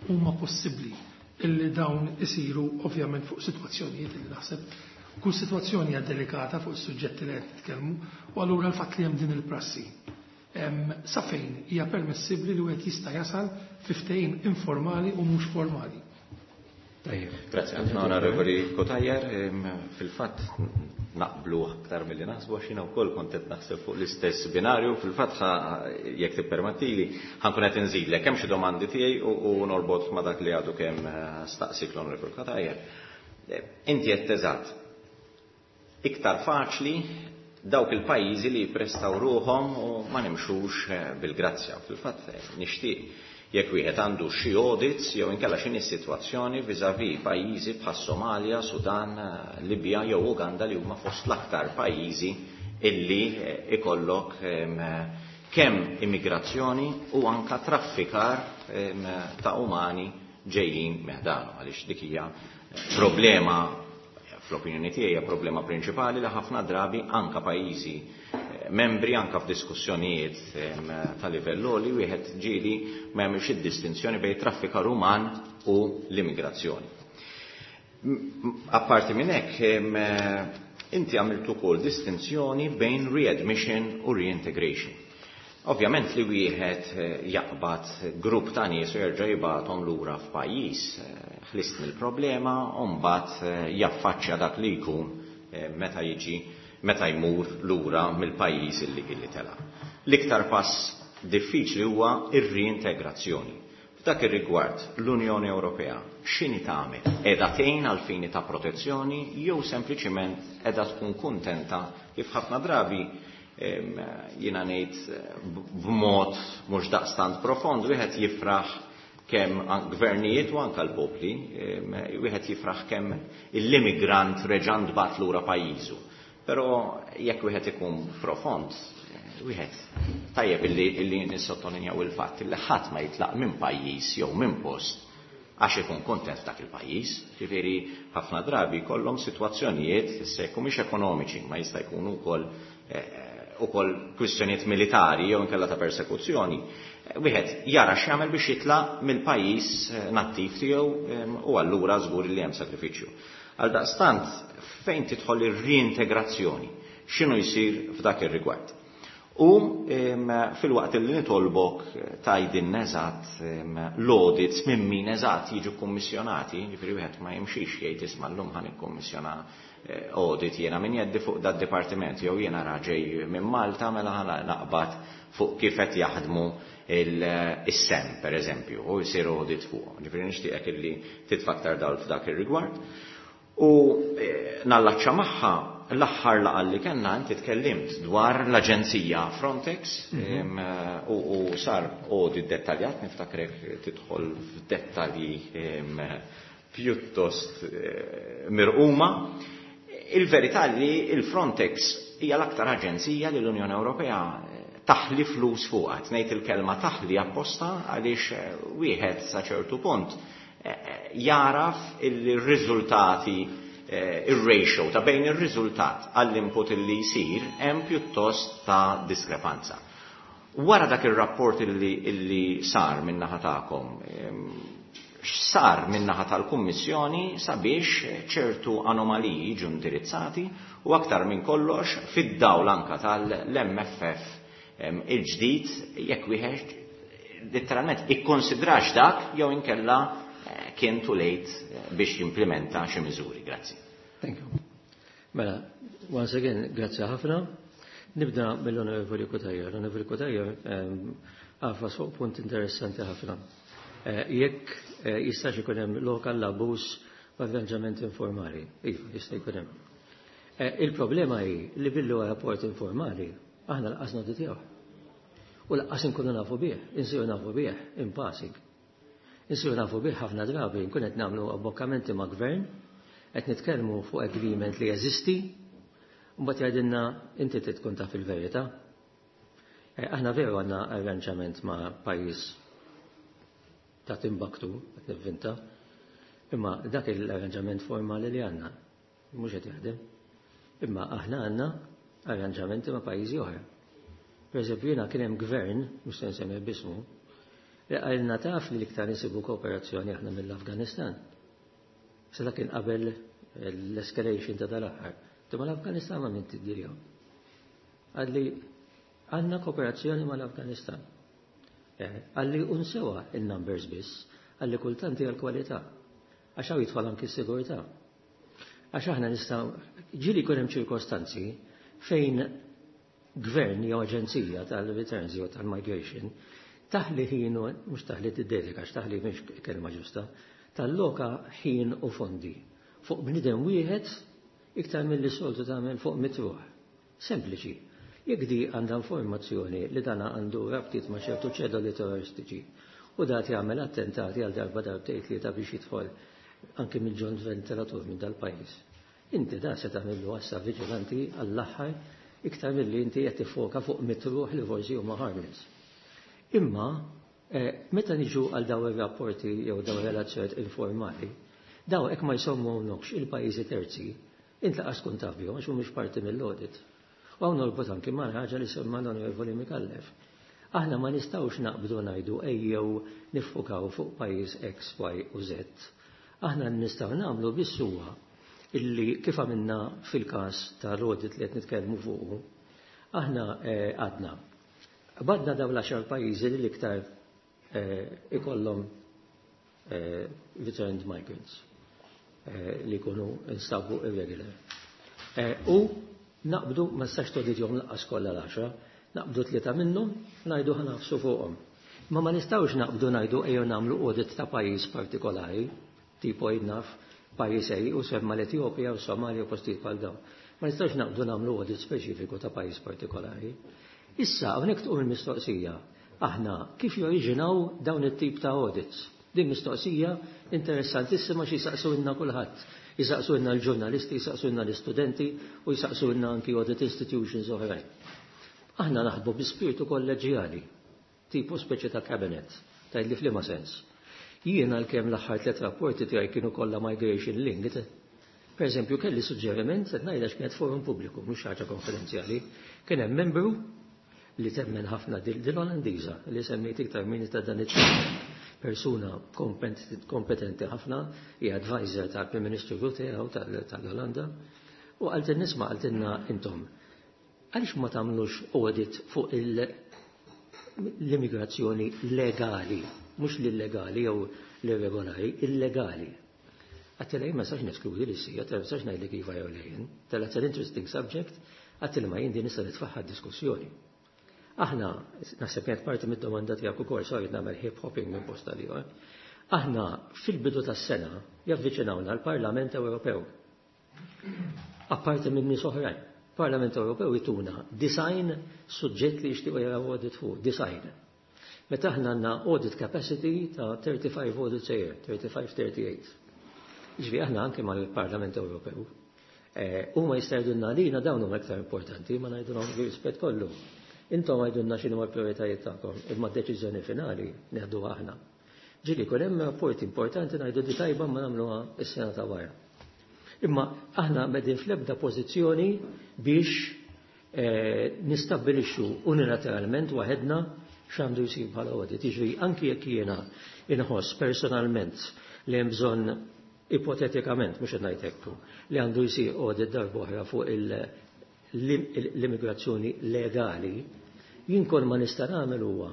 huma possibbli illi dawn isiru, ovvjament fuq sitwazzjonijiet illi naħseb kull sitwazzjoni hija delikata fuq is-suġġetti li qed nitkellmu, u allura l-fatt li hemm din il-prassi, sa fejn hija permessibbli li wieħed jista' jasal fi ftehim informali u mhux formali? Tajjeb. Grazie ħafna, Onorevoli Cutajar. Fil-fatt naqblu aktar milli naħsbu għax jiena wkoll kont qed naħseb fuq l-istess binarju. Fil-fatt jekk tippermettili ħa nkun qed inżidlek hemm xi domandi tiegħi u norbot ma' dak li għadu kemm staqsik l-Onorevoli Cutajar. Inti qed eżatt. Iktar faċli dawk il-pajjiżi li jipprestaw ruħhom u ma nimxux bil-grazzja. Fil-fatt nixtieq jekk wieħed għandu xi audits jew inkella x'inhi s-sitwazzjoni vis-à-vis pajjiżi bħas Somalia, Sudan, Libja jew Uganda li huma fost l-aktar pajjiżi illi ikollok kemm immigrazzjoni u anka traffikar ta' umani ġejjin meħdanu, għaliex dik hija problema, fl-opinjoni tiegħi hija problema prinċipali li ħafna drabi anka pajjiżi membri, anka f'diskussjonijiet ta' livell li wieħed ġieli ma jagħmilx id-distinzjoni bejn traffikar uman u l-immigrazzjoni. Apparti minn hekk, inti għamilt ukoll distinzjoni bejn readmission u reintegration. Ovvjament li wieħed jaqbad grupp ta' nies u jerġa' jibgħathom lura f'pajjiż, ħlist mill-problema u mbagħad jaffaċċja dak li jkun meta jiġi meta jmur lura mill-pajjiż illi illi tela. L-iktar pass diffiċli huwa ir-reintegrazzjoni. F'dak ir-rigward l-Unjoni Ewropea x'inhi tagħmel? Qiegħda tgħin għal fini ta' protezzjoni jew sempliċiment qiegħda tkun kuntenta kif ħafna drabi, jiena ngħid b'mod mhux daqstant profond, wieħed jifraħ kemm gvernijiet u anka l-popli, wieħed jifraħ kemm l-immigrant reġa' ntbagħat lura pajjiżu. Però jekk wieħed ikun profond, wieħed tajjeb illi, illi nissottolinjaw il-fatt illi ħadd ma jitlaq minn pajjiż jew minn post għax ikun kontent dak il-pajjiż. Ġifieri ħafna drabi jkollhom sitwazzjonijiet issa jekk mhux ekonomiċi, ma jista' jkunu wkoll ukoll kwistjonijiet militari jew inkella ta' persekuzzjoni. Wieħed jara x'jagħmel biex jitlaq mill-pajjiż nattiv tiegħu u allura żgur li hemm sakrifiċċju. Għal daqstant, fejn tidħol ir-reintegrazzjoni? X'inhu jsir f'dak ir-rigward? U filwaqt li nitolbok tgħidilna eżatt l-audits minn min eżatt jiġu kummissjonati, jiġifieri wieħed ma jimxix jgħid isma' llum ħa nikkummissjona audit jiena min jeddi fuq dad-dipartiment jew jiena raġej minn Malta mela ħa naqbad fuq kif qed jaħdmu is-S E M per eżempju, u jsir audit fuq. Ġifieri nixtieqek illi titfa' aktar dawl f'dak ir-rigward. U nallaċċa magħha l-aħħar laqgħa li kellna, inti tkellimt dwar l-Aġenzija Frontex u, u sar audit dettaljat, niftakrek tidħol f'dettalji pjuttost mirquma. Il-verità li il-Frontex hija l-aktar aġenzija li l-Unjoni Ewropea taħli flus fuqha. Ngħid il-kelma taħli apposta għaliex wieħed sa ċertu punt jaraf il-riżultati, il-ratio ta' bejn il-riżultat għall-input li jsir hemm pjuttost ta' diskrepanza. Wara dak il-rapport illi, illi sar min-naħa tagħkom, x'sar min-naħa tal-Kummissjoni sabiex ċertu anomaliji jiġu indirizzati u aktar minn kollox fid-dawl anka tal-M F F il-ġdid, jekk wieħed letteralment ikkonsidrax dak jew inkella kien too late biex jimplementa xi miżuri? Grazzi. Thank you. Mela, once again, grazzi ħafna. Nibda mill-Onorevoli Cutajar. L-Onorevoli Cutajar għafas fuq punt interessanti ħafna. Jekk jistax ikun hemm lok għall-abbuż b'arranġament informali. Iva, jista' jkun hemm. Il-problema hi li billu rapport informali, aħna lanqas noditjaw. U lanqas inkunu nafu bih, insiru nafu bih in passing. Insiru nafu bih ħafna drabi nkun qed nagħmlu abbokkamenti ma' gvern, qed nitkellmu fuq agreement li jeżisti, u mbagħad jgħidilna inti trid tkun taf il-verità. Aħna veru għandna arranġament ma' pajjiż ta' Timbuktu, qed nivvinta, imma dak l-arranġament formali li għandna mhux qed jaħdem. Imma aħna għandna arranġamenti ma' pajjiżi oħra. Per eżempju, jiena kien hemm gvern, mhux se nsemmi b'ismu, li qalilna taf li l-iktar insibu kooperazzjoni aħna mill-Afganistan. Se dak kien qabel l-escalation ta' dal-aħħar. Imma l-Afganistan ma' min tiddiljaw? Qalli għandna kooperazzjoni mal-Afganistan. Qalli unsewa il-numbers biss, qalli kultanti għal-kwalità. Għax hawn jidħol anki s-sigurtà. Għax aħna nistgħu, ġieli jkun hemm ċirkostanzi fejn gvern jew aġenzija tal-returns jew tal-migration taħli ħin, mhux taħli tiddedika, għax taħli mhix kelma ġusta, talloka ħin u fondi fuq bniedem wieħed iktar mill-li soltu tagħmel fuq mitt ruħ. Sempliċi. Jekk di għandha informazzjoni li dana għandu rabtiet ma' ċertu ċedoli terroristiċi u dat jagħmel attentati għal darba, darbtejn, tlieta biex jidħol anke mill-ġon ventilatur minn dal-pajjiż. Inti da se tagħmillu għassa viġilanti għall-aħħar iktar milli inti qed tiffoka fuq mitt ruħ li forsi huma harmless. Imma meta niġu għal daw ir-rapporti jew daw relazzjonijiet informali, daw hekk ma jsommuhomx il-pajjiżi terzi, int lanqas tkun taf bihom għax mhumiex parti mill-audit. U hawn norbot anki ma' ħaġa li semma l-Onorevoli Micallef. Aħna ma nistgħux naqbdu ngħidu ejjew niffukaw fuq pajjiż X, Y u Z. Aħna nistgħu nagħmlu biss huwa illi kif għamilna fil-każ tal-audit li qed nitkellmu fuqu, aħna għadna. Badna daw l-għaxar pajjiżi li l-iktar ikollhom returned migrants li jkunu instabu irregular. U naqbdu, ma nistax toditjom lanqas kollha l-għaxra, naqbdu tlieta minnhom, ngħidu ħa nagħfsu fuqhom. Ma ma nistgħux naqbdu ngħidu ejjew nagħmlu audit ta' pajjiż partikolari, tipo naf pajjiż ej u semma l-Etjopja u Somalia u postijiet bħal dawn. Ma nistgħux naqbdu nagħmlu audit speċifiku ta' pajjiż partikolari. Issa hawnhekk tqum il-mistoqsija, aħna kif joriġinaw dawn it-tip ta' audits? Din mistoqsija interessantissima xi jisaqsulna kulħadd. Jisaqsulna l-ġurnalisti, jisaqsulna l-istudenti u jisaqsulna anki audit institutions oħrajn. Aħna naħdmu bi spiritu kolleġjali, tipo speċi ta' cabinet, tgħidli f'liema sens? Jiena l-kem l-aħħar tliet rapporti tiegħi kienu kollha migration linked. Per eżempju, kelli suġġeriment, qed ngħidha kienet forum pubbliku, mhux ħaġa konfidenzjali, kien hemm membru li temmen ħafna dil-Olandiża li semmejt iktar minn ta' dan it persuna kompetenti ħafna, hija advisor tal-Prim Ministru Rutte tal-Olanda, u qaltilna, isma', qaltilna intom. Għaliex ma tagħmlux audit fuq l-immigrazzjoni legali, mhux l-illegali jew l-irregolari, illegali? Għedtilha ma nistax neskludi li sija, ma nistax ngħidlek iva jew le jien. Għedtilha it's an interesting subject, għedtilha ma jien din nista' nitfaħħa diskussjoni. Aħna, naħseb kienet parti mid-domanda tiegħek ukoll, sorry nagħmel hip hopping minn posta li. Aħna fil-bidu tas-sena javviċinawna l-Parlament Ewropew. Apparti minn nies oħrajn. Parlament Ewropew jtuna disgħin suġġett li jixtiequ jaraw audit fuq, disgħin. Meta aħna għandna audit capacity ta' thirty-five audits a year, thirty-five thirty-eight. Ġifieri aħna anke mal-Parlament Ewropew. Eh, huma jista' jgħidulna lina dawn huma iktar importanti, ma ngħidulhom rispett kollu. Intom għidulna x'inhu l-prijoritajiet tagħkom, imma d-deċiżjoni finali neħdu aħna. Ġieli jkun hemm rapport importanti, ngħidu di tajba ma nagħmluha is-sena ta' wara. Imma aħna m'qegħdin fl-ebda pożizzjoni biex eh, nistabbilixxu unilateralment waħedna x'għandu jsir bħala audit. Jiġri anki jekk jiena inħoss personalment li hemm bżonn, ipotetikament, mhux qed ngħid hekk, li għandu jsir audit darba oħra fuq l-immigrazzjoni legali, jien kull ma nista' nagħmel huwa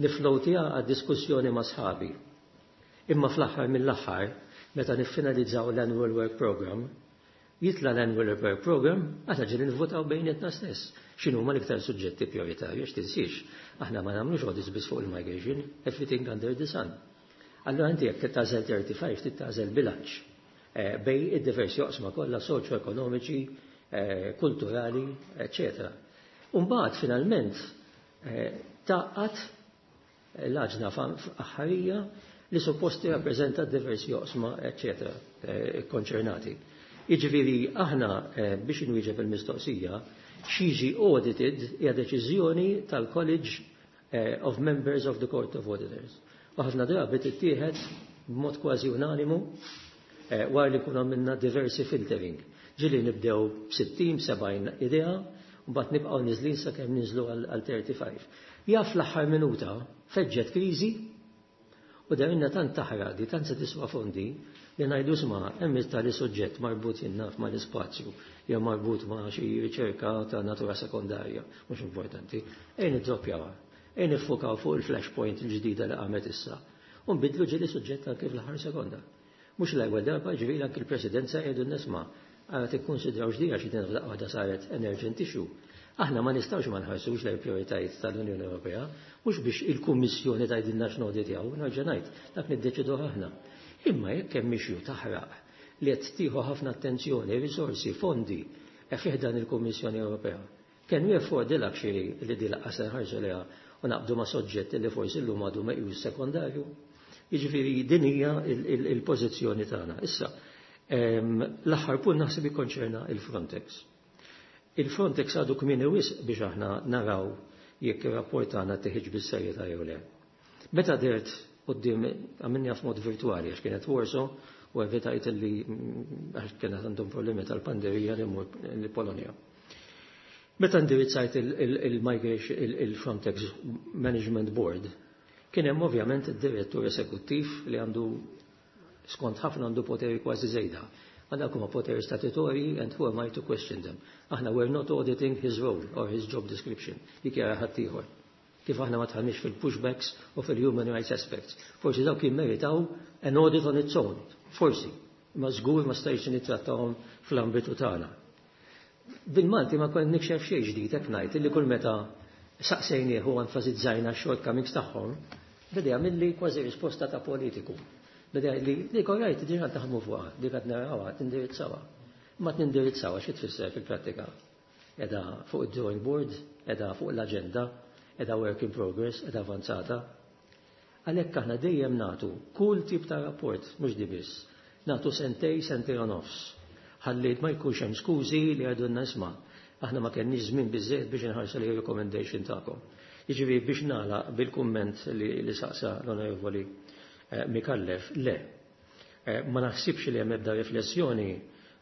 niflowtija għad-diskussjoni ma' sħabi. Imma fl-aħħar mill-aħħar, meta niffinalizzaw l-Annual Work Program, jitla l-Annual Work Program, għata ġili nvotaw bejnietna stess. X'inhu ma l-iktar suġġetti prioritarji, għax tinsiex, aħna ma nagħmlux audits biss fuq il-migration, everything under the sun. Allora inti jekk tagħżel thirty-five, trid tagħżel bilanċ eh, bejn id-diversi oqsma kollha soċjo-ekonomiċi, eh, kulturali, eċċetera. Umbagħad finalment eh, taqgħad l-aġna aħħarija li supposti rappreżenta diversi oqsma, eċċetera, konċernati. Jiġifieri aħna, biex inwieġeb il-mistoqsija, x'jiġi audited hija deċiżjoni tal-College of Members of the Court of Auditors. U ħafna drabi tittieħed b'mod kważi unanimu wara li kuna minna diversi filtering. Ġieli nibdew b'sittin, sebgħin idea, u mbagħad nibqgħu niżlin sakemm ninżlu għal thirty-five. Jaf l-aħħar minuta feġġet kriżi u darinna tant taħraq di, tant se tiswa fondi li ngħidu isma' hemm tali suġġett marbut jinnaf ma' l-ispazju jew marbut ma' xi riċerka ta' natura sekondarja, mhux importanti. Ejn niddroppjawha, ejn niffukaw fuq il-flashpoint il-ġdida li qamet issa. U nbidlu ġieli suġġett anke fl-aħħar sekonda. Mhux l-ewwel darba, ġifieri anke l-presidenza jgħidu nisma' għara tikkonsidraw ġdida xi din waħda saret an urgent issue. Aħna ma nistgħux ma nħarsux lejn prioritajiet tal-Unjoni Ewropea, mhux biex il-Kummissjoni tgħidilna x'nawditjaw, nerġa' ngħid, dak niddeċidu aħna. Imma jekk hemm issue taħraq li qed tieħu ħafna attenzjoni, risorsi, fondi e fih dan il-Kummissjoni Ewropea, can we afford the luxury li di laqqas nħarsu lejha u naqbdu ma' soġġett li forsi llum għadu meqjus sekondarju? Jiġifieri din hija il-pożizzjoni tagħna. Issa, l-aħħar punt naħseb ikkonċerna il-Frontex. Il-Frontex għadu kmieni wisq biex aħna naraw jekk ir-rapport tagħna teħiġ bis-serjetà jew le. Meta dehrt quddiem, għamilni f'mod virtuali għax kienet Warsaw u evitajt li, għax kienet għandhom problemi tal-pandemija, li mmur l-Polonja. Meta indirizzajt il-Migration il-Frontex Management Board, kien hemm ovvjament id-direttur esekuttiv li għandu, skont ħafna, għandu poteri kważi żejda. Għandek huma poteri statutori and who am I to question them? Aħna we're not auditing his role or his job description. Dik jara ħaddieħor. Kif aħna ma dħalniex fil-pushbacks u fil-human rights aspects. Forsi dawk jimmeritaw an audit on its own. Forsi. Ma żgur ma stajx nittrattawhom fl-ambitu tagħna. Bil-Malti ma kont nikxef xejn ġdid hekk ngħid li kull meta saqsejnieh u enfasizzajna x-shortcomings tagħhom, beda jagħmilli kważi risposta ta' politiku. Beda li li korrajt diġà taħdmu fuqha, dik qed narawha, tindirizzawha. Ma tindirizzawha xi tfisser fil-prattika? Qiegħda fuq id-drawing board, qiegħda fuq l-aġenda, qiegħda work in progress, qiegħda avanzata. Għalhekk aħna dejjem nagħtu kull tip ta' rapport, mhux di biss. Nagħtu sentej, sentej u nofs. Ħalli ma jkunx hemm skużi li għadunna isma' aħna ma kenniex żmien biżejjed biex inħarsu li recommendation tagħkom. Jiġifieri biex nagħlaq bil-kumment li, li saqsa l-Onorevoli eh, Micallef, le. Eh, ma naħsibx li hemm ebda riflessjoni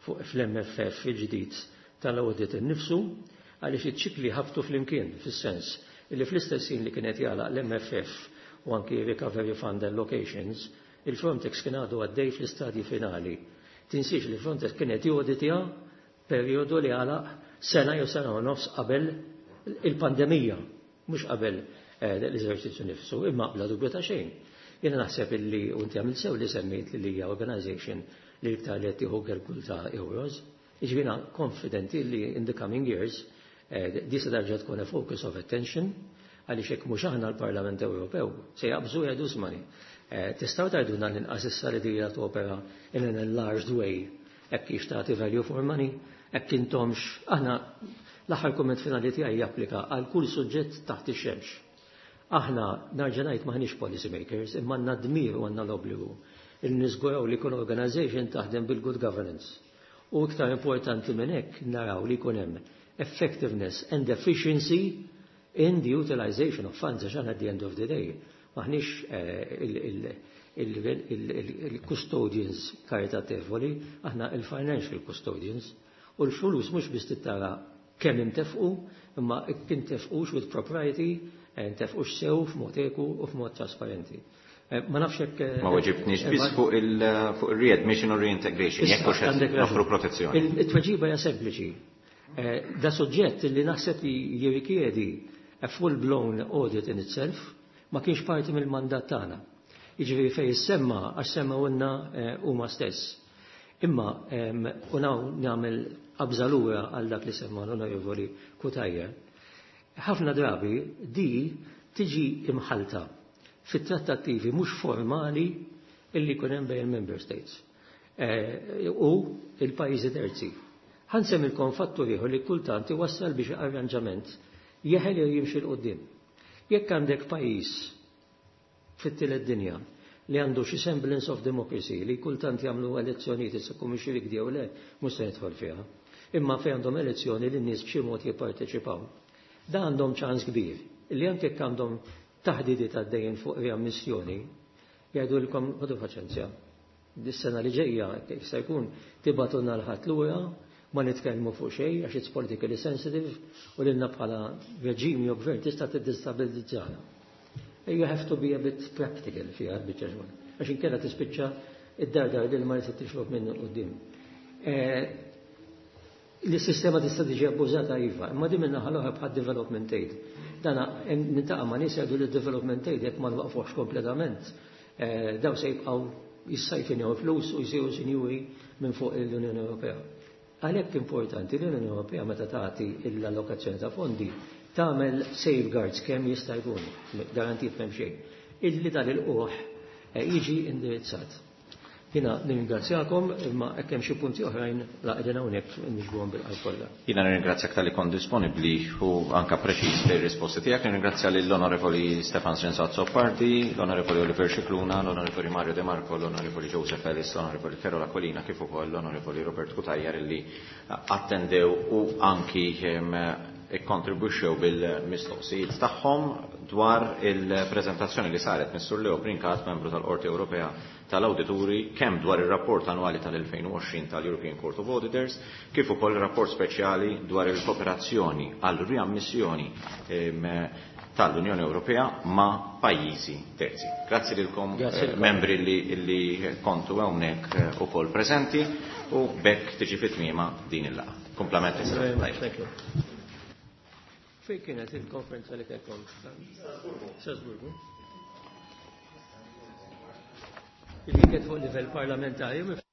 fuq fl-M F F il-ġdid tal-audit innifsu, għaliex iċ-ċikli ħabtu flimkien, fis-sens li fl-istess li kienet jagħlaq l-M F F u anki Recovery Fund allocations, il-Frontex kien għadu għaddej fl-istadji finali. Tinsiex li Frontex kienet joditja periodu li għalaq sena jew sena u nofs qabel il-pandemija, mhux qabel l-eżerċizzju nifsu, imma bla dubju ta' xejn. Jiena naħseb illi u inti għamilt sew li semmejt li hija organization li iktar li qed tieħu gergul ta' euros. Jiġifieri konfidenti li in the coming years di se terġa' tkun a focus of attention, għaliex hekk mhux aħna l-Parlament Ewropew se jaqbżu jgħidu ismani. Tistgħu tgħidulna l-inqas issa li dija topera in an enlarged way, hekk kif tagħti value for money, hekk intomx aħna l-aħħar kumment finali tiegħi japplika għal kull suġġett taħt ix-xemx. Aħna nerġa' ngħid maħniex policy makers, imma għandna dmir u għandna l-obbligu il niżguraw li kull organization taħdem bil-good governance. U iktar importanti minn hekk naraw li jkun hemm effectiveness and efficiency in the utilization of funds, għax at the end of the day maħniex il-custodians karitatevoli, aħna il-financial custodians, u l-flus mhux biss tittara kemm intefqu, imma intefqux with propriety, intefqux sew f'mod eku u f'mod trasparenti. Ma nafx hekk. Ma weġibtniex biss fuq il-readmission u reintegration, jekk hux qed noffru protezzjoni. It-tweġiba hija sempliċi. Da suġġett li naħseb li jirrikjedi a full-blown audit in itself, ma kienx parti mill-mandat tagħna. Jiġifieri fejn semma għax semmewlna huma stess. Imma u nagħmel qabża lura għal dak li semma l-Onorevoli Cutajar. Ħafna drabi di tiġi imħalta fit-trattattivi mhux formali illi jkun hemm bejn il-member states u il-pajjiżi terzi. Ħa nsemmilkom fattur ieħor li kultant iwassal biex arranġament jeħel jew jimxi 'l quddiem. Jekk għandek pajjiż fit-tielet dinja li għandu xi semblance of democracy, li kultant jagħmlu elezzjonijiet, issa mhux rikdi jew le, mhux se nidħol fiha. Imma fejn għandhom elezzjoni li n-nies b'xi mod jipparteċipaw. Da għandhom ċans kbir li anke jekk għandhom taħdidiet għaddejjin fuq riammissjoni, jgħidulkom ħodu paċenzja. Dis-sena li ġejja kif se jkun tibagħtulna 'l ħadd lura, ma nitkellmu fuq xejn għax it's politically sensitive u lilna bħala reġim jew gvern tista' tiddestabilizzana. You have to be a bit practical fiha biċċa xogħol. Għax inkella tispiċċa id-dardar li ma jista' tixrob minnu quddiem. L-sistema tista' tiġi abbużata, iva, imma din minnaħa l-oħra bħal development aid. Dana nintaqa' ma' nies jgħidu li development aid jekk ma nwaqfuhx kompletament, daw se jibqgħu jissajfinjaw flus u jsiru sinjuri minn fuq l-Unjoni Ewropea. Għalhekk importanti li l-Unjoni Ewropea meta tagħti l-allokazzjoni ta' fondi tagħmel safeguards kemm jista' jkun, garantit m'hemm xejn, illi dan il-qoħ jiġi indirizzat. Jiena nirringrazzjakom, imma hekk hemm xi punti oħrajn la qegħdin hawnhekk niġbuhom bil-qalb kollha. Jiena nirringrazzjak talli kont disponibbli u anka preċiż fir-risposti tiegħek. Nirringrazzja lill-Onorevoli Stefan Azzopardi, l-Onorevoli Oliver Scicluna, l-Onorevoli Mario De Marco, l-Onorevoli Joseph Ellis, l-Onorevoli Karol Aquilina, kif ukoll l-Onorevoli Robert Cutajar illi attendew u anki ikkontribwixxew bil-mistoqsijiet tagħhom dwar il-preżentazzjoni li saret mis-Sur Leo Brincat, membru tal-Qorti Ewropea tal-Awdituri, kemm dwar ir-rapport annwali tal-elfejn u għoxrin tal-European Court of Auditors, kif ukoll rapport speċjali dwar il-kooperazzjoni għal riammissjoni tal-Unjoni Ewropea ma' pajjiżi terzi. Grazzi lilkom eh, membri li, li kontu hawnhekk eh, ukoll preżenti u b'hekk tiġi fi tmiema din il-laqgħa. Komplimenti. Thank you. Fejn kienet il-konferenza li kellkom? Strasburgu. Il kienet fuq livell parlamentari.